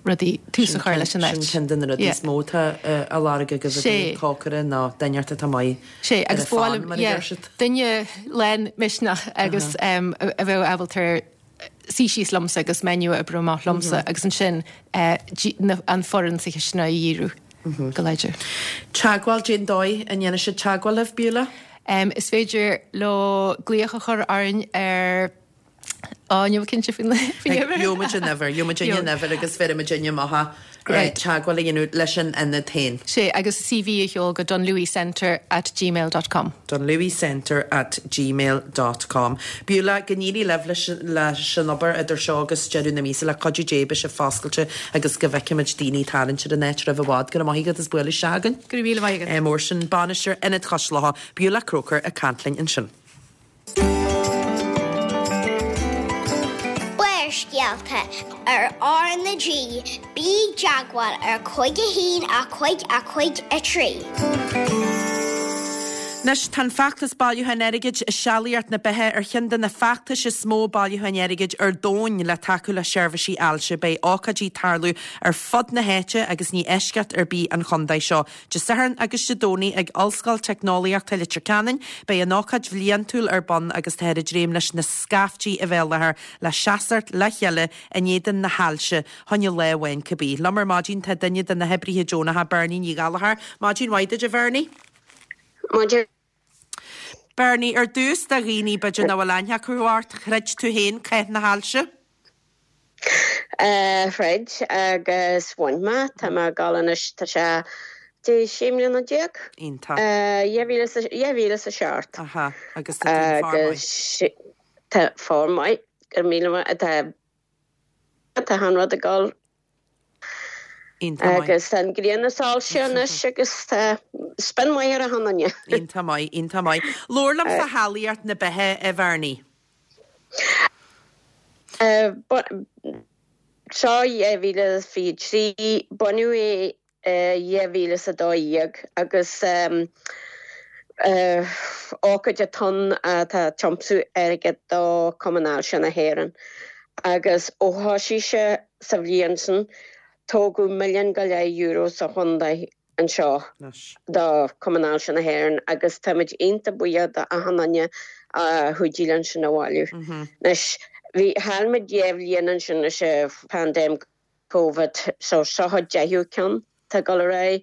rudaí, tús a chur leis an áit. Sin ceann de na rudaí is mó atá á lorg agaibh i dtaobh cócaire ná duine atá maith Sea, agus ba mhaith liom, yeah, duine lán misneach agus a bheadh ábalta suí síos liomsa agus menu a oibriú amach liomsa agus ansin an foireann sa chistin a dhíriú go láidir. Teagmháil, cén dóigh a ndéanfaidh siad teagmháil libh, Beulah? Is féidir leo glaoch a chur orainn ar Á, níl mé cinnte faoin uimhir. Gheobhaidh muid an uimhir, gheobhaidh muid an uimhir agus bhéarfaidh muid amach é teagmháil a dhéanamh leis an ionad féin. Sea, agus CV a sheol go dunlewycentre at gmail dot com. dunlewycentre at gmail dot com. Beulah, go n-éirí libh leis leis an obair idir seo agus deireadh na míosa, le cuidiú Dé beidh sibh foscailte agus go bhfeicfimid daoine ag tarraingt ar an áit roimh i bhfad. Go raibh maith agat as bualadh isteach againn. Go raibh míle maith agat. Mór sin bainisteoir Ionad Chois Locha, Beulah Croker ag caint linn ansin. Barrscéalta ar R na G, bí i dteagmháil ar 5 1 5 5 3. Anois, tá an feachtas bailiúcháin airgid Sealaíocht na Beatha ar cheann de na feachtais is mó bailiúcháin airgid ar domhan le tacú le seirbhísí ailse. Beidh ócáidí ag tarlú ar fud na háite agus ní eisceacht ar bith an chontae seo. Dé Sathairn agus Dé Domhnaigh ag Ollscoil Teicneolaíochta Leitir Ceanainn, beidh an ócáid bhliantúil ar bun agus táthar ag dréim leis na scaiftí a bheith i láthair le seasacht le chéile in éadan na hailse, choinne lá amháin cibé. Liom ar maidin tá duine de na hoibrithe deonacha, Bernie Ní Ghallchóir. Maidin mhaith duit, a Bhernie. Maidin. Bernie, ar dtús, do dhaoine b'fhéidir nach bhfuil aithne acu ort, throid tú féin cath na hailse? Throid agus bhain mé. Tá mé ag dul anois, tá sé dé 16 mbliana. Iontach. 2007. Aha, agus tá tú in form maith. Agus tá form maith, go raibh míle maith, tá, tá an rud ag dul. Iontach maith. Agus tá an ghrian ag soilsiú anois agus tá spion maith ar achan duine. Iontach maith, iontach maith. Labhair liom fá Shealaíocht na Beatha, a Bhernie. Seo 2023, bunaíodh é i 2012 agus ócáid atá ann atá ag tiomsú airgead do Chumann Ailse na hÉireann agus ó thosaigh sé sa bhliain sin tógadh milliún go leith euro sa chontae. anseo do Chumann Ailse na hÉireann agus táimid iontach buíoch d'achan duine a chuidigh linn sin a bhailiú. Anois, bhí, chaill muid dhá bhliain ansin leis an phaindéim Covid so seo an deichiú ceann atá ag dul ar aghaidh.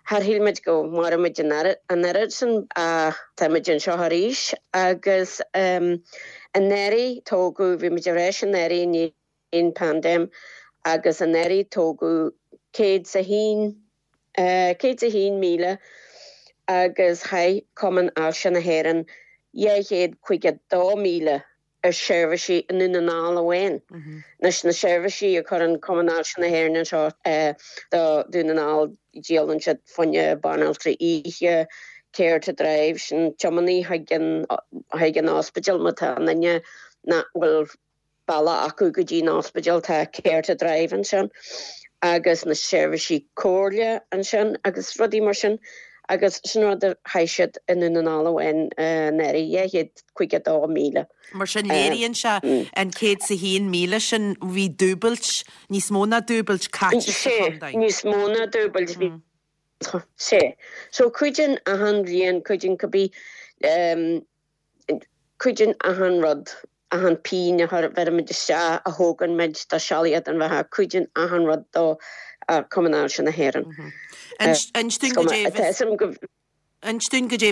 Char shíl muid go mairfeadh muid an oiread sin ach táimid anseo arís agus anuraidh tógadh, bhí muid ar ais anuraidh i ndiaidh an paindéim agus anuraidh tógadh 101, 101,000 agus chaith Cumann Ailse na hÉireann 252,000 ar sheirbhísí i nDún na nGall amháin. Anois na seirbhísí a chuireann Cumann Ailse na hÉireann anseo do Dhún na nGall díolann siad fá choinne banaltraí oíche, Care to Drive, sin tiománaí chuig an chuig an ospidéal má tá duine nach bhfuil bealach acu go dtí an ospidéal, tá Care to Drive ansin agus na seirbhísí comhairle ansin agus rudaí mar sin agus sin rud a chaith siad i nDún na nGall amháin anuraidh, 252,000. Mar sin léiríonn sé an 101,000 sin, bhí dúbailt, níos mó ná dúbailt caite sa chontae. Sea, níos mó ná dúbailt, bhí. Sea. So cuidíonn achan bhliain, cuidíonn cibé, Cuidíonn achan rud, achan phingin a bheirimid isteach, a thógann muid do Sealaíocht na Beatha, cuidíonn achan rud do Chumann Ailse na hÉireann. Inis dúinn goidé a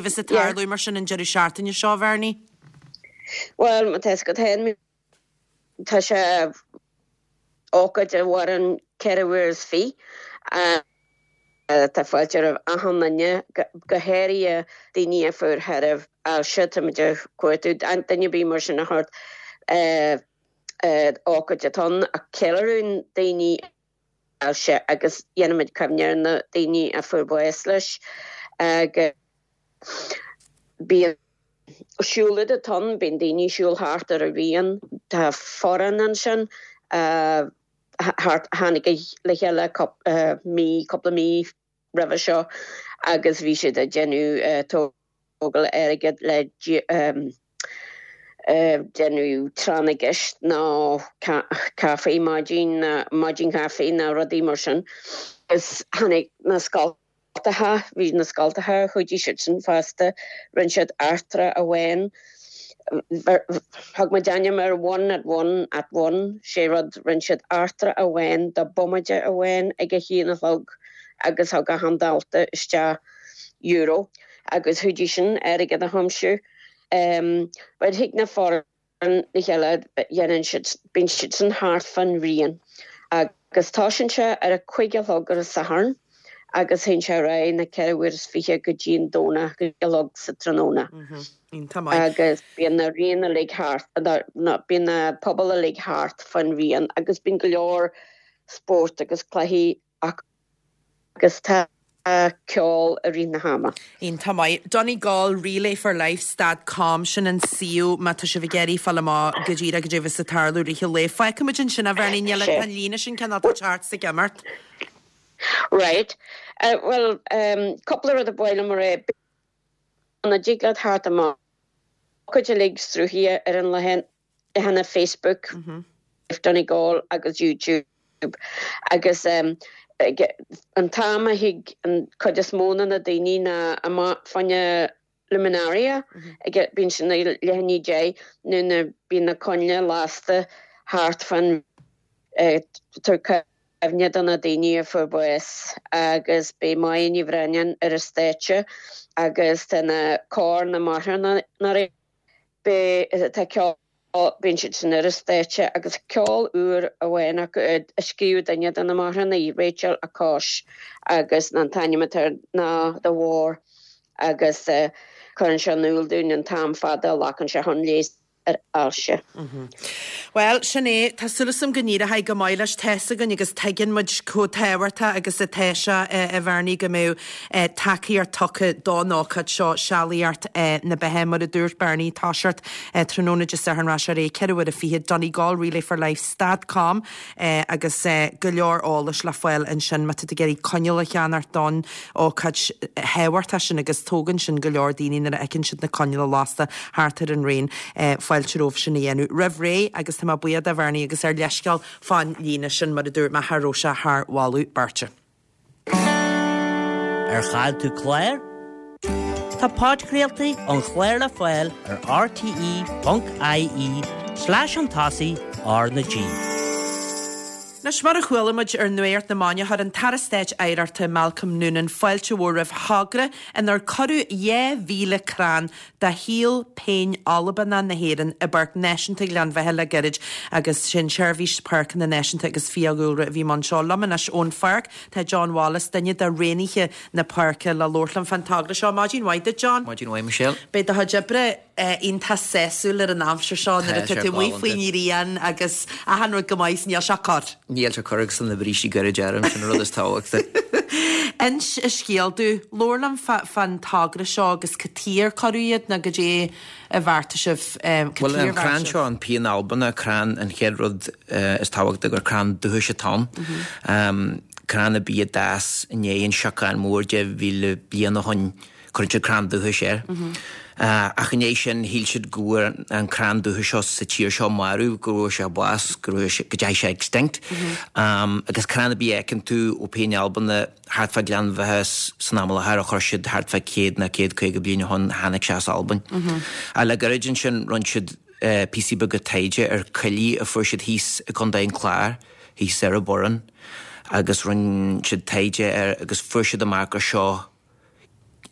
bheas ag tarlú mar sin an deireadh seachtaine seo, a Bhernie. Bhuel, má tá fhios agat féin, tá sé ócáid a mhaireann 24 uair. Tá fáilte roimh achan duine, go háirithe daoine a fuair tairbhe ailse. Táimid ag cuartú duine ar bith mar sin a thabhairt ócáid atá ann a cheiliúrann daoine ailse agus dhéanaimid cuimhne ar na daoine a fuair bás leis agus bíonn. Siúlóid atá ann, bíonn daoine ag siúl thart ar an rian, tá foireann ansin thart, tháinig le chéile mí, cúpla mí roimhe seo agus bhí siad ag déanamh tógáil airgid le déanamh tráth na gceist nó caife maidin, maidin chaife nó rudaí mar sin. Agus tháinig na scoltacha. Bhí na scoltacha, chuidigh siadsan fosta, rinne siad eachtra amháin, thug muid ainm air one at one at one, sé rud, rinne siad eachtra amháin do bomaite amháin ag a haon a chlog agus thug achan dalta isteach euro agus chuidigh sin airgead a thiomsiú. But thig na foireann le chéile, dhéanann siad, bíonn siadsan thart fán rian agus tosaíonn sé ar a cuig a chlog ar an Satharn agus théann sé ar aghaidh na ceithre uair is fiche go dtí an Domhnach a chlog sa tráthnóna. Iontach maith. Agus bíonn na rian uilig thart, bíonn na pubaill uilig thart fán rian agus bíonn go leor spórt agus cluichí acu. agus tá ceol i rith na hama. Iontach maith. Donegal Relay for Life stad com, sin an suíomh má tá sibh ag iarraidh fáil amach go díreach goidé a bheas ag tarlú i rith an lae. Fágfaidh muid ansin a Bhernie, níl tá an líne sin cineál ag teacht is ag imeacht. Right. Bhuel, cúpla rud a ba mhaith liom a rá. An dtig leat theacht amach cuid uilig sruthaithe ar an leathanach Facebook Donegal agus YouTube agus an t-am a thig an cuid is mó de na daoine ná amach fá choinne luminaria ag bíonn sin ag leath i ndiaidh 10 nuair na bíonn na coinnle lasta thart fán tabhairt cuimhne do na daoine a fuair bás agus beidh Máire Ní Bhraonáin ar an stáitse agus tá na cór na marthanaí Beidh, tá ceol, bíonn siad san ar an stáitse agus ceol úr amháin acu a scríobh duine de na marthanaigh, Rachel Acosh agus an t-ainm atá air ná The War agus cuireann sé in iúl dúinn an t-am fada a ghlacann sé chun leigheas ar ailse. Bhuel, sin é. Tá súil agam go n-éireoidh go maith leis. Tá's againn agus tuigeann muid chomh tábhachtach agus atá sé, a Bhernie, go mbeadh tacaíocht tugtha don ócáid seo, Sealaíocht na Beatha. Mar a dúirt Bernie, toiseacht tráthnóna Dé Sathairn rachaidh sé ar aghaidh 4 uair a 20, Donegal Relay for Life stad com agus go leor eolais le fáil ansin má tá tú ag iarraidh coinneal a cheannacht don ócáid thábhachtach sin agus tógann sin go leor daoine nuair a fheiceann siad na coinneala lasta thart ar an raon. Fáilte romhaibh sin a dhéanamh roimh ré agus tá mé buíoch de Bhernie agus ár leithscéal fán líne sin mar a dúirt mé cha raibh sé thar mholadh beirte. Ar chaill tú clár? Tá podchraoltaí an chláir le fáil ar rte.ie slash chun tosaigh R na G. Anois, mar a chuala muid ar Nuacht na Maidine, chuir an tAire Stáit Oidhreachta Malcolm Noonan fáilte mhór roimh thogra inar cuireadh 2,000 crann de shíol péin Albanach na hÉireann i bPáirc Náisiúnta Ghleann Bheatha le gairid agus sé an tSeirbhís Páirceanna Náisiúnta agus Fiadhúlra a bhí i mbun seo. Liom anois ón pháirc tá John Wallace, duine de raonaithe na páirce le labhairt liom fán togra seo. Maidin mhaith duit, John. Maidin mhaith, Michelle. Beidh do chuid oibre iontach sásúil ar an aimsir seo nuair atá tú amuigh faoin ngrian agus achan rud go maith is níl sé corr. Níl sé corr agus tá na brístí gairid orm, sin an rud is tábhachtaí. Inis an scéal domh, labhair liom fán togra seo agus cad chuige ar cuireadh iad nó goidé a bheartaigh sibh, cad Bhuel, an crann seo, an pian Albanach, crann, an chéad rud is tábhachtaí gur crann dúchais atá ann. Crann a bhí ag d'fhás i ndiaidh an siocán mór 10,000 bliain ó shoin. Cuireann siad crann dúchais air. Ach i ndiaidh sin, shíl siad go bhfuair an crann dúchais seo sa tír seo marbh, go raibh sé bás, go raibh sé, go dteachaigh sé extinct. Agus crann ar bith a fheiceann tú ó Péin Albanach thart fá Gleann Bheatha san am i láthair a chuir siad thart fá 100 nó 150 bliain ó shoin, tháinig sé as Albain. Ach le gairid ansin, rinne siad píosaí beaga taighde ar coillidh a fuair siad thíos i gContae an Chláir, thíos ar an Bhoireann, agus rinne siad taighde air agus fuair siad amach gur seo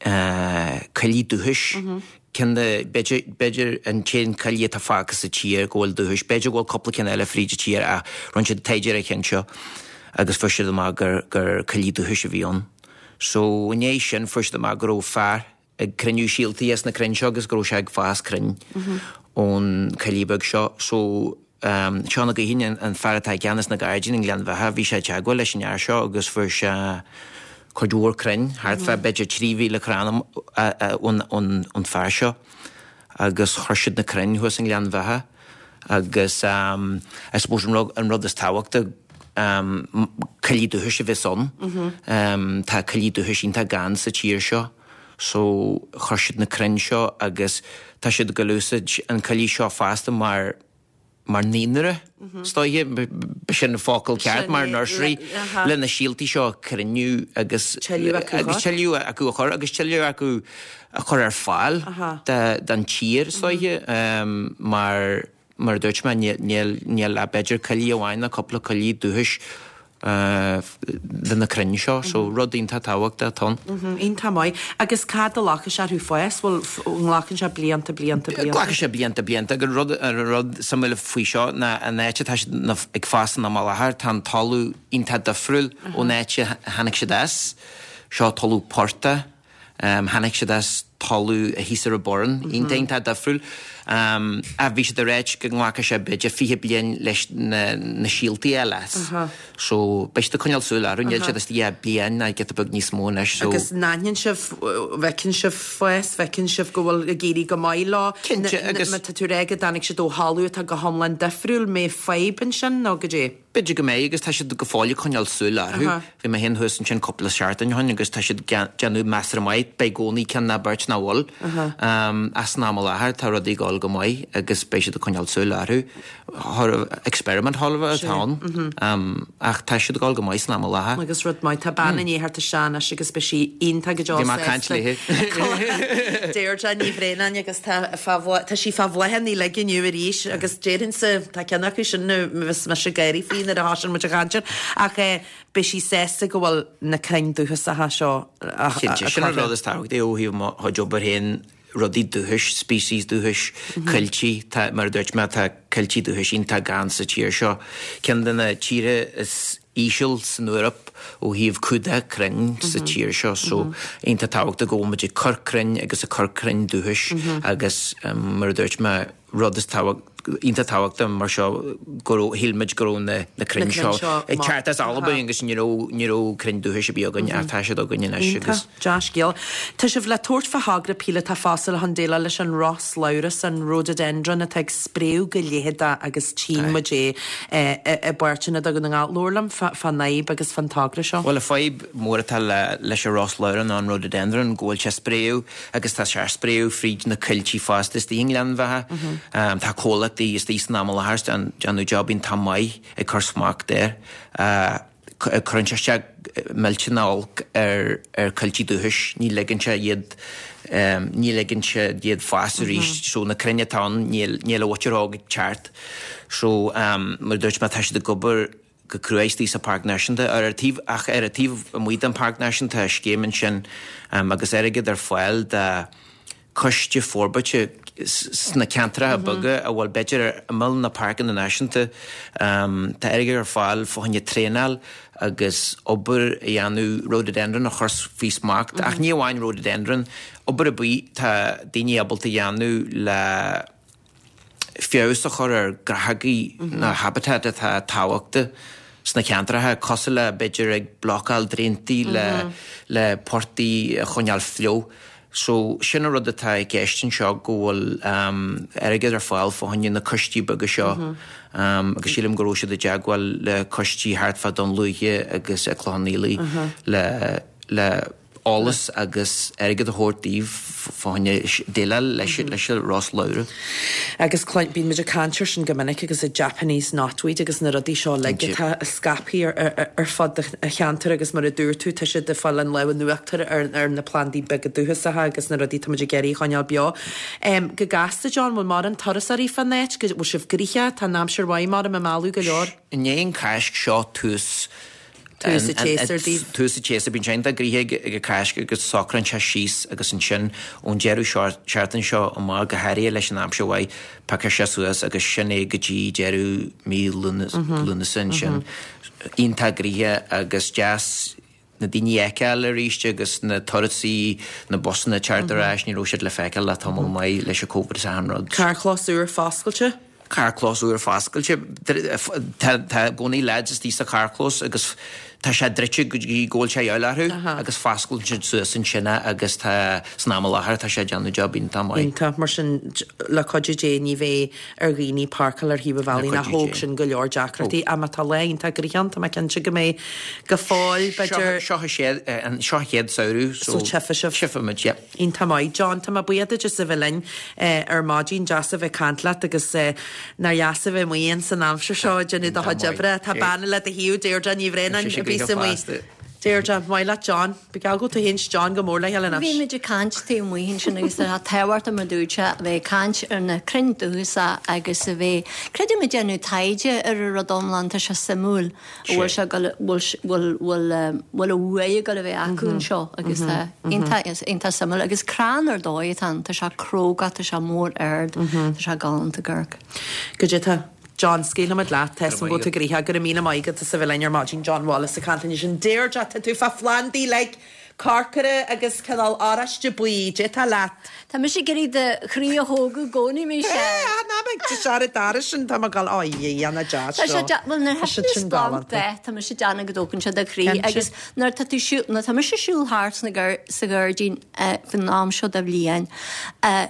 coillidh dúchais, ceann de, b'fhéidir, b'fhéidir an t-aon coillidh atá fágtha sa tír go bhfuil dúchais, b'fhéidir go bhfuil cúpla ceann eile fríd an tír ach rinne siad taighde ar an cheann seo agus fuair siad amach gur, gur coillidh dúchais a bhí ann. So, i ndiaidh sin fuair siad amach go raibh fear ag cruinniú síoltaí as na crainn seo agus go raibh sé ag fás crainn ón coillidh beag seo. So, Seán Ó Gaoithín, an fear atá i gceannas na gairdíní i nGleann Bheatha, bhí sé i dteagmháil leis an fhear seo agus fuair sé cuid mhór crainn, thart fá b'fhéidir 3,000 crann ón fear seo. agus chuir siad na crainn thuas i nGleann Bheatha agus I suppose an rud, an rud is tábhachtaí coillidh dúchais a bheas ann. Tá coillidh dúchais iontach gann sa tír seo so chuir siad na crainn seo agus tá siad ag dul úsáid an coillidh seo fosta mar mar naíonra, is dóiche, b'shin an focal ceart, mar nursery, le na síoltaí seo a chruinniú agus tuilleadh acu a chur agus tuilleadh acu a chur ar fáil don tír, is dóiche, mar mar a dúirt mé, níl ach b'fhéidir coillidh amháin nó cúpla coillidh dúchais de na crainn seo, so rud iontach tábhachtach atá ann. Iontach maith. Agus cá fhad a ghlacfaidh sé orthu fás? Bhfuil, an nglacann sé blianta, blianta, blianta? Glacfaidh sé blianta, blianta. Agus rud, an rud suimiúil faoi seo ná an áit atá siad ag fás san am i láthair, tá an talamh iontach difriúil ón áit a tháinig siad as. Seo talamh portaigh. Tháinig siad as talamh thíos ar an Boireann, iontach iontach difriúil. Ach bhí siad ag ráit go nglacfaidh sé b'fhéidir 20 bliain leis na síoltaí a fháil as. So beidh siad ag coinneáil súil orthu, níl siad istigh ach bliain ná giota beag níos mó anois. So. Agus an aithníonn sibh, bhfeiceann sibh fás, bhfeiceann sibh go bhfuil ag éirí go maith leo? Cinnte agus. Má tá tú ag rá go dtáinig siad ó thalamh atá go hiomlán difriúil, mbeidh fadhb ansin nó goidé? B'fhéidir go mbeidh agus tá siad go fóill ag coinneáil súil orthu. Bhí mé féin thuas ansin cúpla seachtain ó shin agus tá siad ag déanamh measartha maith. Beidh i gcónaí ceann ná beirt nach bhfuil. Ach san am i láthair tá rudaí ag dul go maith agus beidh siad ag coinneáil súil orthu. Experiment chóir a bheith atá ann. Ach tá siad ag dul go maith san am i láthair. Agus rud maith, tá bean i ndiaidh theacht isteach anois agus beidh sí iontach go deo Bhí mé ag caint léi. Deirdre Ní Bhraonáin agus tá tá sí fá bhláthanna uilig inniu arís agus déarfainnse, tá ceann acu sin a bheas mise ag gáirí faoi nuair a thosaíonn muid a chaint air, ach beidh sí sásta go bhfuil na crainn dúchasacha seo á Cinnte, sin an rud is tábhachtaí ó thaobh mo chuid obair féin, rudaí dúchais, species dúchais, coilltí, tá, mar a dúirt mé, tá coilltí dúchais iontach gann sa tír seo. Ceann de na tíortha is íseal san Eoraip ó thaobh cumhdach crainn sa tír seo so iontach tábhachtach go bhfuil muid ag cur crainn agus ag cur crainn dúchais agus mar a dúirt mé rud is iontach tábhachtach mar seo go raibh shíl muid go raibh na na crainn seo ag teacht as Albain agus ní raibh ní raibh crainn dúchais ar bith againn ach tá siad againn anois agus Dea-scéal. Tá sibh le tabhairt fá thogra píolótach fosta le chun déileáil leis an ros labhras, an rhododendron atá ag spréadh go leitheadach agus tchíonn muid é i bpáirteanna de Dhún na nGall. Labhair liom fán fhadhb agus fán togra seo. Bhuel, an fadhb mhór atá leis an ros labhras ná an rhododendron, go bhfuil sé ag spréadh agus tá sé ag spréadh fríd na coilltí fosta istigh i nGleann Bheatha. Tá comhlachtaí istigh san am i láthair ag déanamh job iontach maith ag cur smacht air. Cuireann sé isteach millteanach olc ar ar choilltí dúchais, ní ligeann sé iad ní ligeann sé iad fás arís so na crainn atá ann níl níl a mhuintir óg ag teacht. So mar a dúirt mé tá siad ag obair go crua istigh sa Páirc Náisiúnta ar an taobh ach ar an taobh amuigh den Páirc Náisiúnta tá scéim ansin agus airgead ar fáil do coiste forbartha sna ceantracha beaga a bhfuil b'fhéidir ar imeall na páirceanna náisiúnta. Tá airgead ar fáil fá choinne traenáil agus obair a dhéanamh rhododendron a chur faoi smacht, ach ní amháin rhododendron, obair ar bith tá daoine ábalta a dhéanamh le feabhas a chur ar ghnáthógaí nó habitat atá tábhachtach sna ceantracha, cosúil le b'fhéidir ag blocáil draentaí le le portaigh a choinneáil fliuch. So sin an rud atá i gceist anseo go bhfuil airgead ar fáil fá choinne na coistí beaga seo agus sílim go raibh siad i dteagmháil le coistí thart fá Dún Lúiche agus i Clochán Fhaola le le eolas agus airgead a thabhairt daoibh fá choinne déileáil leis leis an ros labhra. Agus bíonn muid ag caint air sin go minic agus an Japanese knotweed agus na rudaí seo uilig atá scaipthe ar fud an cheantair agus mar a dúirt tú tá siad ag fáil an lámh in uachtar ar na plandaí beaga dúchasacha agus na rudaí atá muid ag iarraidh a choinneáil beo. Go gasta John, bhfuil mórán turasóirí fán áit, bhfuil sibh gnoitheach, tá an aimsir mhaith maram ag mealladh go leor? I ndiaidh an Cháisc seo tús Tús an tséasúir daoibh. Tús an tséasúir. Bíonn sé iontach gnoitheach ag an Cháisc agus socraíonn sé síos agus ansin ón deireadh seachtaine seo amach, go háirithe leis an aimsir mhaith, piocfaidh sé suas agus sin é go dtí deireadh mí Lúnasa ansin. Iontach gnoitheach agus deas na daoine a fheiceáil arís agus na turasóirí, na busanna ag teacht ar ais, ní raibh siad le feiceáil le tamall maith leis an Covid is achan rud. Carrchlós úr foscailte. Carrchlós úr foscailte. Tá i gcónaí lads istigh sa charrchlós agus. Tá sé druidte go dtí go bhfuil sé a dhíobháil orthu agus fosclaíonn siad suas ansin é agus tá, san am i láthair, tá sé ag déanamh job iontach maith. Iontach. Mar sin, le cuidiú Dé ní bheidh ar dhaoine páirceáil ar thaobh an bhealaigh nó thóg sin go leor deacrachtaí. Ach má tá lá iontach gréine ann, tá mé cinnte go mbeidh go fóill, b'fhéidir. Seo an seo an chéad samhradh so tchífidh sibh. Tchífimid, yeah. Iontach maith. John, tá mé buíoch duit as a bheith linn ar maidin. Deas a bheith ag caint leat agus nár dheas a bheith amuigh ins an aimsir seo ag déanamh do chuid oibre. Tá bean le do thaobh, Deirdre Ní Bhraonáin, a bhíos amuigh. Deirdre, maith leat John. Ba gheall go bhfuil tú féin 's John go mór le chéile anois. Bhí muid ag caint taobh amuigh ansin agus tá tábhacht mar dúirt sé a bheith ag caint ar na crainn dúchasacha agus a bheith, creidim ag déanamh taighde ar an rud iomlán, tá sé suimiúil. bhfuil sé ag bhfuil bhfuil bhfuil bhfuil a bhuaidh ag dul a bheith acu anseo agus tá iontach iontach suimiúil agus crann ar dóigh atá ann, tá sé cróga, tá sé mór ard, tá sé galánta ag amharc. Goidé tá John, scaoilfimid leat, tá 'fhios a'm go bhfuil tú gnoitheach, go raibh míle maith agat as a bheith linn ar maidin, John Wallace ag caint linn ansin. Deirdre, tá tú fá phlandaí like corcra agus cineál oráiste buí, goidé tá leat. Tá mise ag iarraidh do chroí a thógadh i gcónaí, Michelle. Ná ná beidh tú sear a dara sin, tá mé ag gabháil, ó a Dhia, nach deas Tá sé seo. deas, bhuel nuair Tá a siad thagann sin splanc galánta. de, tá mise ag déanamh go dtógann sé do chroí Cinnte. agus nuair atá tú siúl, nuair atá mise ag siúl thart sna gar, sa ghairdín eh, faoin am seo de bhliain, eh,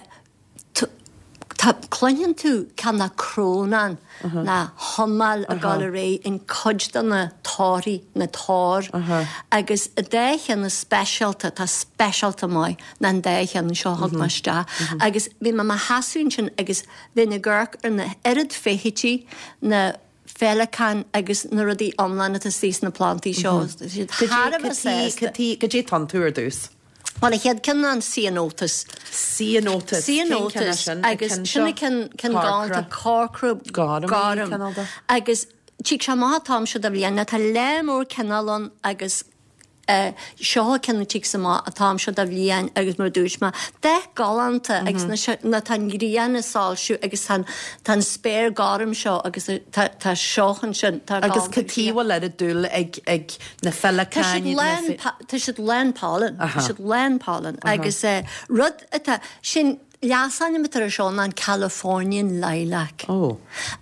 Tá, cluineann tú cineál crónán ná humáil ag dul ar aghaidh in cuid de na torthaí, na toir, agus an dá cheann is speisialta, atá speisialta maith, ná an dá cheann seo a thug mé isteach. Agus bhí mé i mo sheasamh ansin agus bheinn ag amharc ar na oiread feithidí, na féileacáin agus na rudaí iomlán atá istigh sna plantaí seo. Tá siad thar a bheith sásta. Goidé atá iontu ar dtús? Bhuel, an chéad ceann ná an Ceanothus. Ceanothus. Cén ceann é sin? Agus sin an ceann ceann galánta corcra gorm. Agus tig sé amach an t-am seo de bhliain. Now tá lear mór cineál ann agus seo an ceann a tigs amach an t-am seo de bhliain agus mar a dúirt mé, dath galánta agus nuair tá an ghrian ag soilsiú agus tá tá an spéir gorm seo agus tá tá seo ansin, tá Agus cad chuige a bhfuil oiread dúil ag ag na féileacáin, na. Tá siad lán pollen, tá siad lán pollen agus rud atá, sin leasainm atá air seo ná an Californian lilac.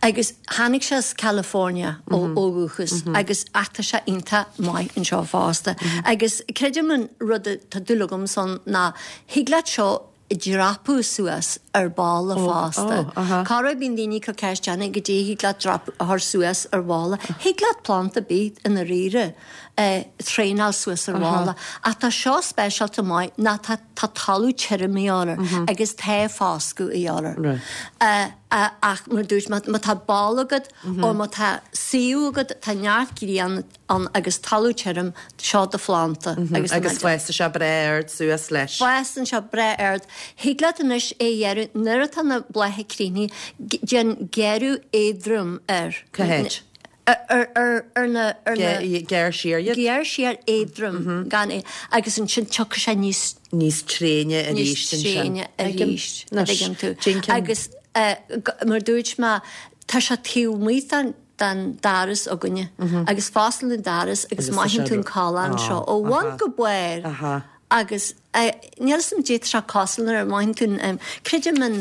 Agus tháinig sé as California ó dhúchas agus ach tá sé iontach maith anseo fosta. Agus creidim an rud atá dúil agamsa ann ná thig leat seo a dhreapadh suas ar balla fosta. Corruair bíonn daoine ag cur ceisteanna goidé thig leat dreapadh a chur suas ar bhalla. Thig leat planda ar bith i ndáiríre a thraenáil suas ar bhalla. Ach tá seo speisialta maith ná tá tá talamh tirim a dhíobháil air agus tá foscadh a dhíobháil air. Ach mar a dúirt mé má tá balla agat ó má tá suíomh agat tá neart grian ann agus talamh tirim, seo do phlanda agus Agus fásann sé breá ard suas leis. Fásann sé breá ard. Thig leat anois é a ghearradh nuair atá na blátha críochnaithe, déan gearradh éadrom air. Cá háit? Ar, ar, ar na, ar na. Gearr siar iad? Gearr siar éadrom, gan é, agus ansin tiocfaidh sé níos. Níos tréine arís ansin. Níos tréine arís, an dtuigeann tú. Agus mar a dúirt mé, tá sé taobh amuigh den den doras againne agus fosclaíonn an doras agus mothaíonn tú an callán seo ó bhun go barr agus níl 'fhios a'm goidé tá sé cosúil nuair a mothaíonn tú an, creidim an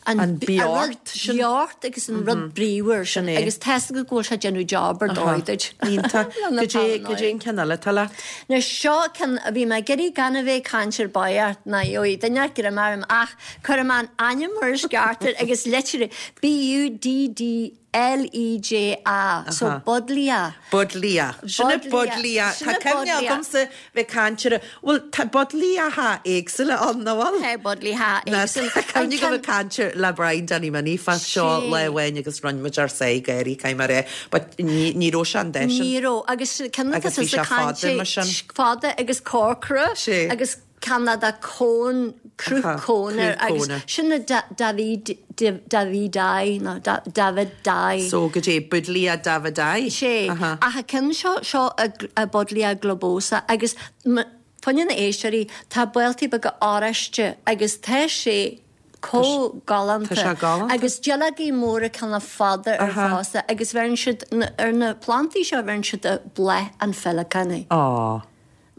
an beocht sin. beocht agus an rud bríomhar sin agus tá 'fhios agat go bhfuil sé ag déanamh job ar dóigh duit. Iontach. Goidé, goidé an ceann eile atá leat? Now seo ceann a bhí mé ag iarraidh gan a bheith ag caint ar báireacht ná gheobhaidh duine greim orm ach cuirfidh mé an ainm mar is ceart air agus litir B U D D L-E-J-A, so Buddleja. Buddleja. Sin é Buddleja. Tá cuimhne agamsa bheith ag caint ar a, bhuel, tá Buddlejacha éagsúla ann, nach bhfuil? Tá Buddleja éagsúla. Tá cuimhne agam ag caint ar le Brian Danny Minnie fá seo lá amháin agus rinne muid ár sáith gáirí, caithfidh mé a rá, but ní, ní raibh sé an dath sin. Ní raibh, agus ceann atá tusa ag caint fada mar sin. Fada agus corcra. Sé. Agus ceann de cón, cruth cóin air agus sin na David, Davidii nó Davidii. So goidé Buddleja Davidii? Sé. Ach an ceann seo, seo a Buddleja globosa agus fá choinne na éisteoirí, tá baoltaí beaga oráiste agus tá sé chomh galánta. Tá sé galánta. Agus duilleogaí móra cineál fada air fosta agus bheireann siad, ar na plantaí seo bheireann siad bláth an pheileacáin. Á.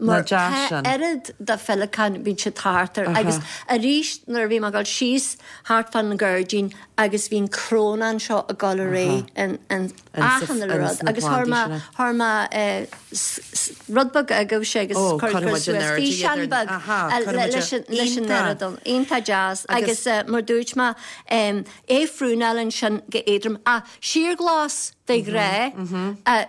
Mar tá oiread de féileacáin, bíonn siad thart air. Agus arís nuair a bhí mé ag dul síos thart fán ghairdín agus bhí an crónán seo ag dul ar aghaidh in achan uile rud agus chuir mé, chuir mé rud beag agaibhse agus chuir suas físeán beag leis an oiread ann. Iontach deas. Agus mar dúirt mé, é phrúnáil ansin go éadrom. Ach síorghlas de ghnáth,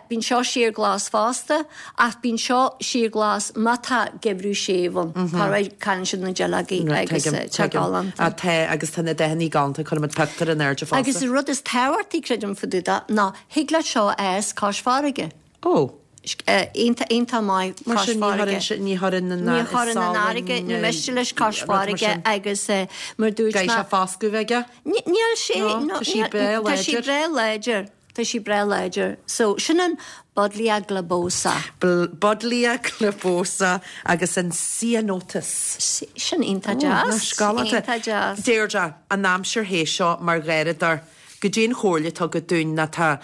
bíonn seo síorghlas fosta, ach bíonn seo síorghlas má tá geimhreadh séimh ann. Corruair cailleann siad na duilleogaí agus tá galánta. Tá, agus tá na dathannaí galánta, cuirfimid pictiúr in airde fosta. Agus an rud is tábhachtaí, creidim, fá dtaobh de, ná thig leat seo a fhás cois farraige. Ó. Iontach, iontach maith Mar cois sin, ní farraige. chuireann sé, ní chuireann an Ní chuireann an fharraige, ní miste leis cois farraige agus mar dúirt Caithfidh mé. sé foscadh bheith aige? Níl sé, No, tá sí breá tá sí láidir. breá láidir, tá sí breá láidir. So, sin an Buddleia globosa. Buddleia globosa agus an Ceanothus. Sin iontach deas, iontach deas. Deirdre, an aimsir théis seo mar gharradóir, Goidé an chomhairle atá agat dúinn ná tá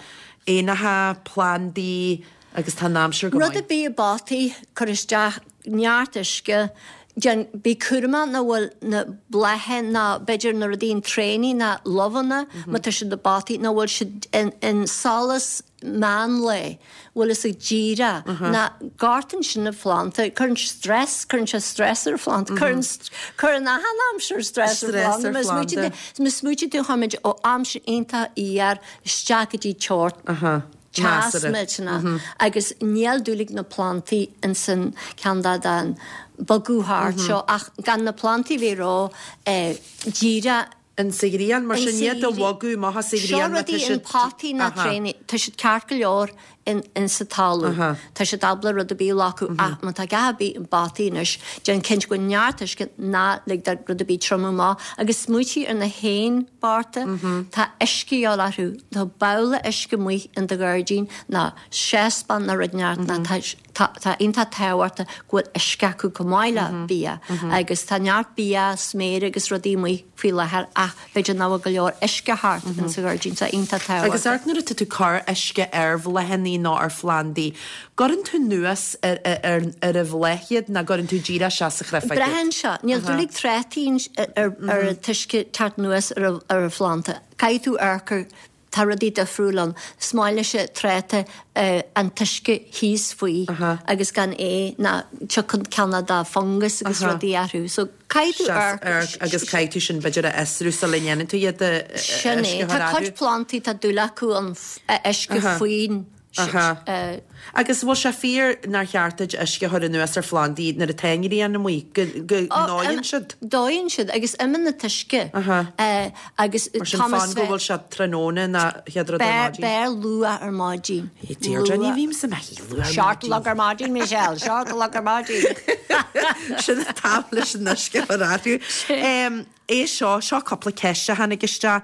éanacha, plandaí agus tá an aimsir go Rud maith. ar bith i bpotaí, cuir isteach neart uisce, déan, bí cúramach nach bhfuil na blátha ná b'fhéidir na rudaí an tréanaí ná luibheanna má tá siad i bpotaí nach bhfuil siad in, in solas meán lae, bhfuil fhios agat díreach, ná gortaíonn sin na phlanda, cuireann stress, cuireann sé stress ar phlanda, cuireann, cuireann achan aimsir stress ar phlanda, má smaoitíonn tú, má smaoitíonn tú chuaigh muid ó aimsir iontach fhuar isteach go dtí teocht teas millteanach agus níl dúil ag na plandaí insan ceann de den bogadh thart seo ach gan na plandaí bheith ró díreach In sa ghrian, mar sin iad a bhogadh amach as sa Seo ghrian má tá rudaí in siad. potaí ná tréanaí, tá siad ceart go leor in in sa talamh. Tá siad ábalta rud ar bith a ghlacadh ach má tá a dhath ar bith i bpotaí anois, déan cinnte go bhfuil neart uisce, ná lig do rud ar bith triomú amach agus smaoitigh ar na héin bochta, tá uisce a dhíobháil orthu, tá babhla uisce amuigh in do ghairdín ná saucepan ná rud inteacht ná tá Tá tá iontach tábhachtach go bhfuil uisce acu chomh maith le bia agus tá neart bia, sméara agus rudaí amuigh faoi láthair ach b'fhéidir nach bhfuil go leor uisce thart in sa ghairdín so iontach Agus tábhachtach. amharc nuair atá tú ag cur uisce ar bhláthannaí nó ar phlandaí, gcuireann tú anuas ar ar ar an bhláth iad nó gcuireann tú díreach isteach sa chreafág iad? Braitheann sé. Níl dúil ag trátaí ar ar an t-uisce teacht anuas ar ar an phlanda. Caithfidh tú amharc ar Tá rudaí difriúil ann. Is maith leis an tráta an t-uisce thíos faoi agus gan é ná tiocfaidh cineál de fungus agus rudaí orthu. So caithfidh tú amharc. Agus caithfidh tú sin b'fhéidir a fhiosrú sula ndéanann tú iad a Sin é. Tá cuid plandaí tá dúil acu an uisce faoin Aha. Agus bhfuil sé fíor nár cheart duit uisce a chur anuas ar phlandaí nuair atá an ghrian amuigh, go ndóigheann siad? Dóigheann siad agus imíonn an t-uisce. Aha. Agus Mar sin fan go bhfuil sé tráthnóna ná chéad rud ar maidin. B'fhearr luath ar maidin. Deirdre, ní bhímse mo shuí luath ar maidin. Seacht a chlog ar maidin, Michelle, seacht a chlog ar maidin. Sin an t-am leis an uisce a chur orthu. É seo, seo cúpla ceist a tháinig isteach.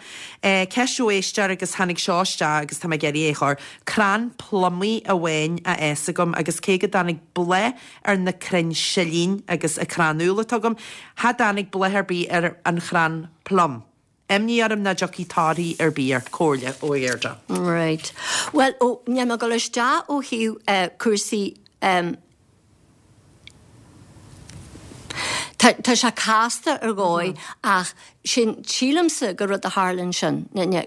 Ceist ó éisteoir agus tháinig seo isteach agus tá mé ag iarraidh é a chur. Crann plumaí amháin á fhás agam agus cé go dtáinig bláth ar na crainn silín agus an crann úll atá agam, cha dtáinig bláth ar bith ar an chrann plum. Imní orm nach dtiocfaidh torthaí ar bith air. Comhairle ó Dheirdre. Right. Bhuel, ó, níl mé ag dul isteach ó thaobh cúrsaí Tá, tá sé casta ar dhóigh ach sin, sílimse gur rud a tharla ansin,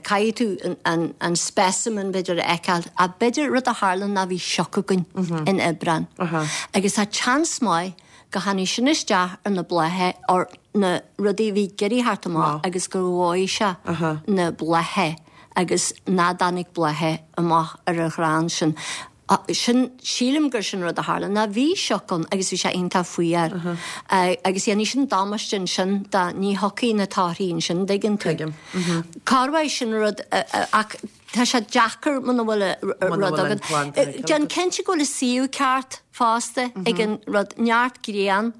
caithfidh tú an, an specimen b'fhéidir a fheiceáil ach b'fhéidir rud a tharla ná bhí sioc againn in Aibreán agus tá seans maith go tháinig sin isteach ar na blátha or na rudaí a bhí ag iarraidh theacht amach agus gur dhóigh sé na blátha agus ná dtáinig blátha amach ar an chrann sin. Sin, sílim gur sin rud a tharla, ná bhí sioc ann agus bhí sé iontach fuar agus dhéanfaidh sin damáiste ansin dá ní thiocfaidh na torthaí ansin, dtuigeann tú. Tuigim. Corruair sin rud ach tá sé deacair muna bhfuil rud agat. Déan cinnte go bhfuil an suíomh ceart fosta ag an rud, neart grian.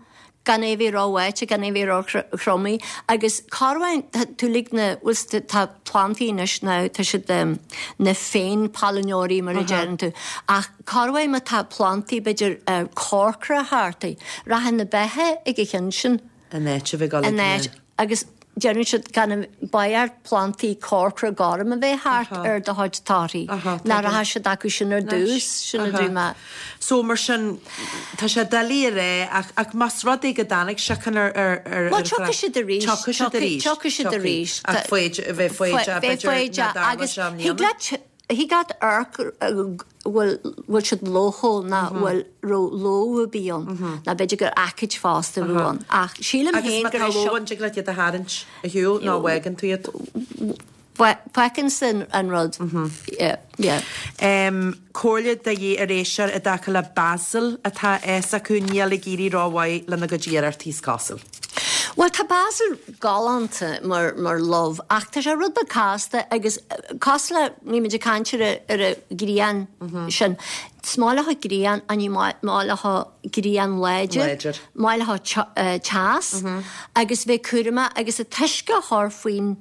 gan é bheith ró-bháite, gan é bheith ró-thriomaithe agus corruair tá tú lig na, bhfuil 's tá plandaí anois now, tá siad na féin-pailneoirí mar a deireann tú, ach corruair má tá plandaí b'fhéidir corcra thart, rachaidh na beithe ag an cheann sin. An áit a bheith ag dul ag na. Agus. Deireann siad gan an b'fhearr plantaí corcra gorm a bheith thart ar do chuid torthaí. Nach rachaidh siad acu sin ar dtús, sin a dúirt mé. So mar sin, tá sé doiligh a rá ach ach más rud é go dtáinig síocháin ar ar ar Bhuel, tiocfaidh siad arís. Tiocfaidh siad arís. Tiocfaidh siad arís. Ach foighid, bheith foighdeach b'fhéidir nach dtarlódh sé i mbliana. Thig leat thig leat amharc bhfuil bhfuil siad lóchúil ná bhfuil raibh lobh ar bith ann ná b'fhéidir gur aicid fosta a bhí ann ach sílim Agus féin má go tá raibh lobh ann, dtig leat iad a tharraingt ar shiúl nó fágann tú iad. Feiceann an rud. Yeah, yeah. Comhairle de dhíth ar éisteoir i dtaca le basil atá a fhios acu níl ag éirí rómhaith lena gcuid iarrachtaí is cosúil. Bhuel tá basil galánta mar mar luibh ach tá sé rud beag casta agus cosúil le bhí muid ag caint ar ar an ghrian sin. Is maith leo grian ach ní maith leo grian láidir. Láidir. Maith leo teas agus bheith cúramach agus an t-uisce a chur faoin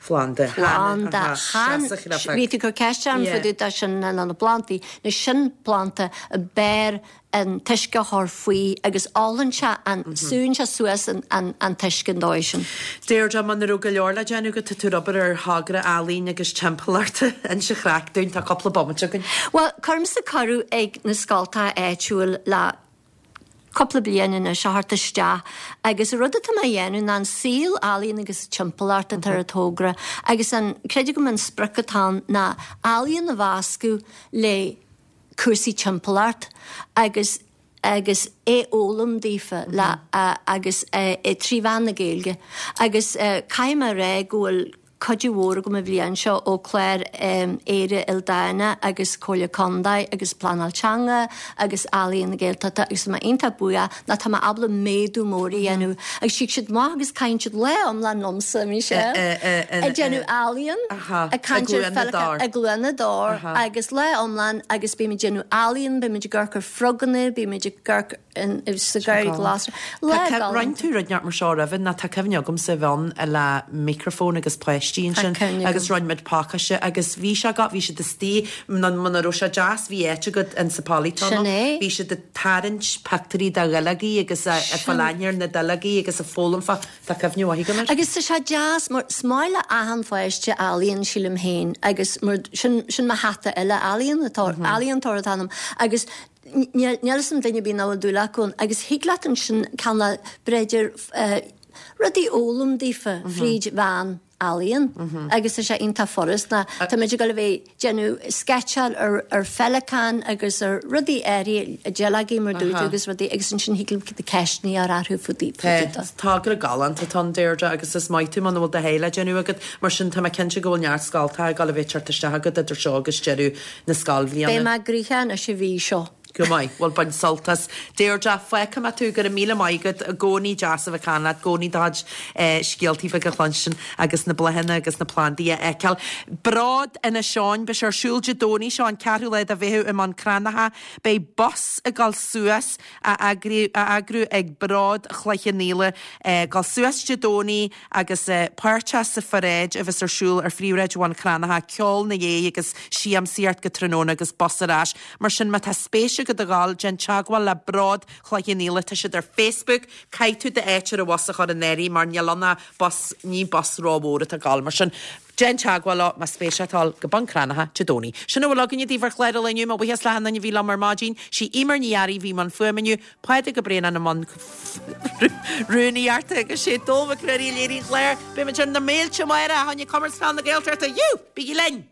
phlanda. Planda. Chan. Bhí tú ag cur ceist orm fá dtaobh de sin na na plantaí. Nó sin planta a b'fhearr an t-uisce a chur faoi agus ólann sé an, súnn sé suas an an an t-uisce an dóigh sin. Deirdre, muna raibh go leor le déanamh agat, tá tú ag obair ar thogra ealaíne agus timpeallachta. Inis an chraic dúinn, tá cúpla bomaite againn. Bhuel, cuirimse cuireadh ag na scoltacha áitiúil le cúpla bliain anois a theacht isteach agus an rud atá mé a dhéanamh ná an saol ealaíon agus timpeallacht atá ar an togra agus an, creidim go an sprioc atá ann ná ealaíon a mheascadh le cúrsaí timpeallacht agus agus é fhoghlaim daofa le agus é trí mheán na Gaeilge agus caithfidh mé a rá go bhfuil cuidiú mhór agam an bhliain seo ó clár Éire Ildánach agus Comhairle Contae agus Pleanáil Teanga agus Ealaíon na Gaeltachta agus tá mé iontach buíoch ná tá mé ábalta méadú mór a dhéanamh agus tig siad amach agus caitheann siad lá iomlán liomsa, Michelle, ag déanamh ealaíon, ag caint ar Feiliceá i gCluain na dTor agus lá iomlán agus beimid ag déanamh ealaíon, beimid ag amharc ar froganna, beimid ag amharc sa gharraí glasraí. Lá galánta. Rinne tú rud inteacht mar seo roimhe ná tá cuimhne agamsa a bheith ann le micreafón agus páistí ansin agus rinne muid pacáiste agus bhí sé agat, bhí siad istigh, nó muna raibh sé deas bhí áit agat in sa polytunnel, bhí siad ag tarraingt pictiúirí de dhuilleogaí agus ag fáil aithne ar na duilleogaí agus ag foghlaim fá, tá cuimhne mhaith agam air. Agus tá sé deas mar is maith le achan pháiste ealaíon sílim féin agus mar sin, sin mo hata eile, ealaíontóir, ealaíontóir atá ionam agus Níl fhios a'm duine ar bith nach bhfuil dúil acu ann agus thig leat ansin cineál b'fhéidir rudaí a fhoghlaim daofa fríd mheán ealaíon agus tá sé iontach furasta. Tá muid ag dul a bheith déanamh sceitseáil ar ar pheileacáin agus ar rudaí áirithe, duilleogaí mar dúirt tú agus rudaí agus ansin thig leat ceisteanna a chur orthu fá dtaobh de. Togra galánta atá ann Deirdre agus is maith tú muna bhfuil do sháith le déanamh agat mar sin tá mé cinnte go bhfuil neart scoltacha ag dul a bheith ag teacht isteach agat idir seo agus deireadh na scoilbhliana. Beidh mé gnoitheach anois an mhí seo. Go maith. Bhuel, bain sult as. Deirdre, fágfaidh mé tú, go raibh míle maith agat. I gcónaí deas a bheith ag caint leat, i gcónaí do chuid scéaltaí beaga a chluinstin agus na bláthanna agus na plandaí a fheiceáil. Bród Inis Eoghain, beidh sé ar siúl Dé Domhnaigh seo, an ceathrú lá de Mheitheamh i mBun Cranncha. Beidh bus ag dul suas á eagrú ag Bród Chloich Cheann Fhaola, ag dul suas Dé Domhnaigh agus páirteach sa pharáid a bheas ar siúl ar phríomhshráid Bhun Cranncha, ceol na dhiaidh agus siamsaíocht go tráthnóna agus bus ar ais. Mar sin má tá spéis agat a dhul, déan teagmháil le Bród Chloich Cheann Fhaola, tá siad ar Facebook, caithfidh tú d'áit ar an bhus a chur in áirithe mar níl ann ach bus, ní bus rómhór atá ag dul, mar sin déan teagmháil leo más spéis leat a dhul go Bun Cranncha Dé Domhnaigh. Sin a bhfuil againne daoibh ar chlár an lae inniu, mo bhuíochas le hachan duine a bhí liom ar maidin, sí Eimear Ní Fhearraigh a bhí i mbun fuaime inniu, Pádraig Ó Braonáin i mbun rúnaíochta agus sé Dónall Mac Ruairí a léirigh an clár. Beidh muid ar na mílte amárach fá choinne Comórtas Peile na Gaeltachta. Yú! Bígí linn!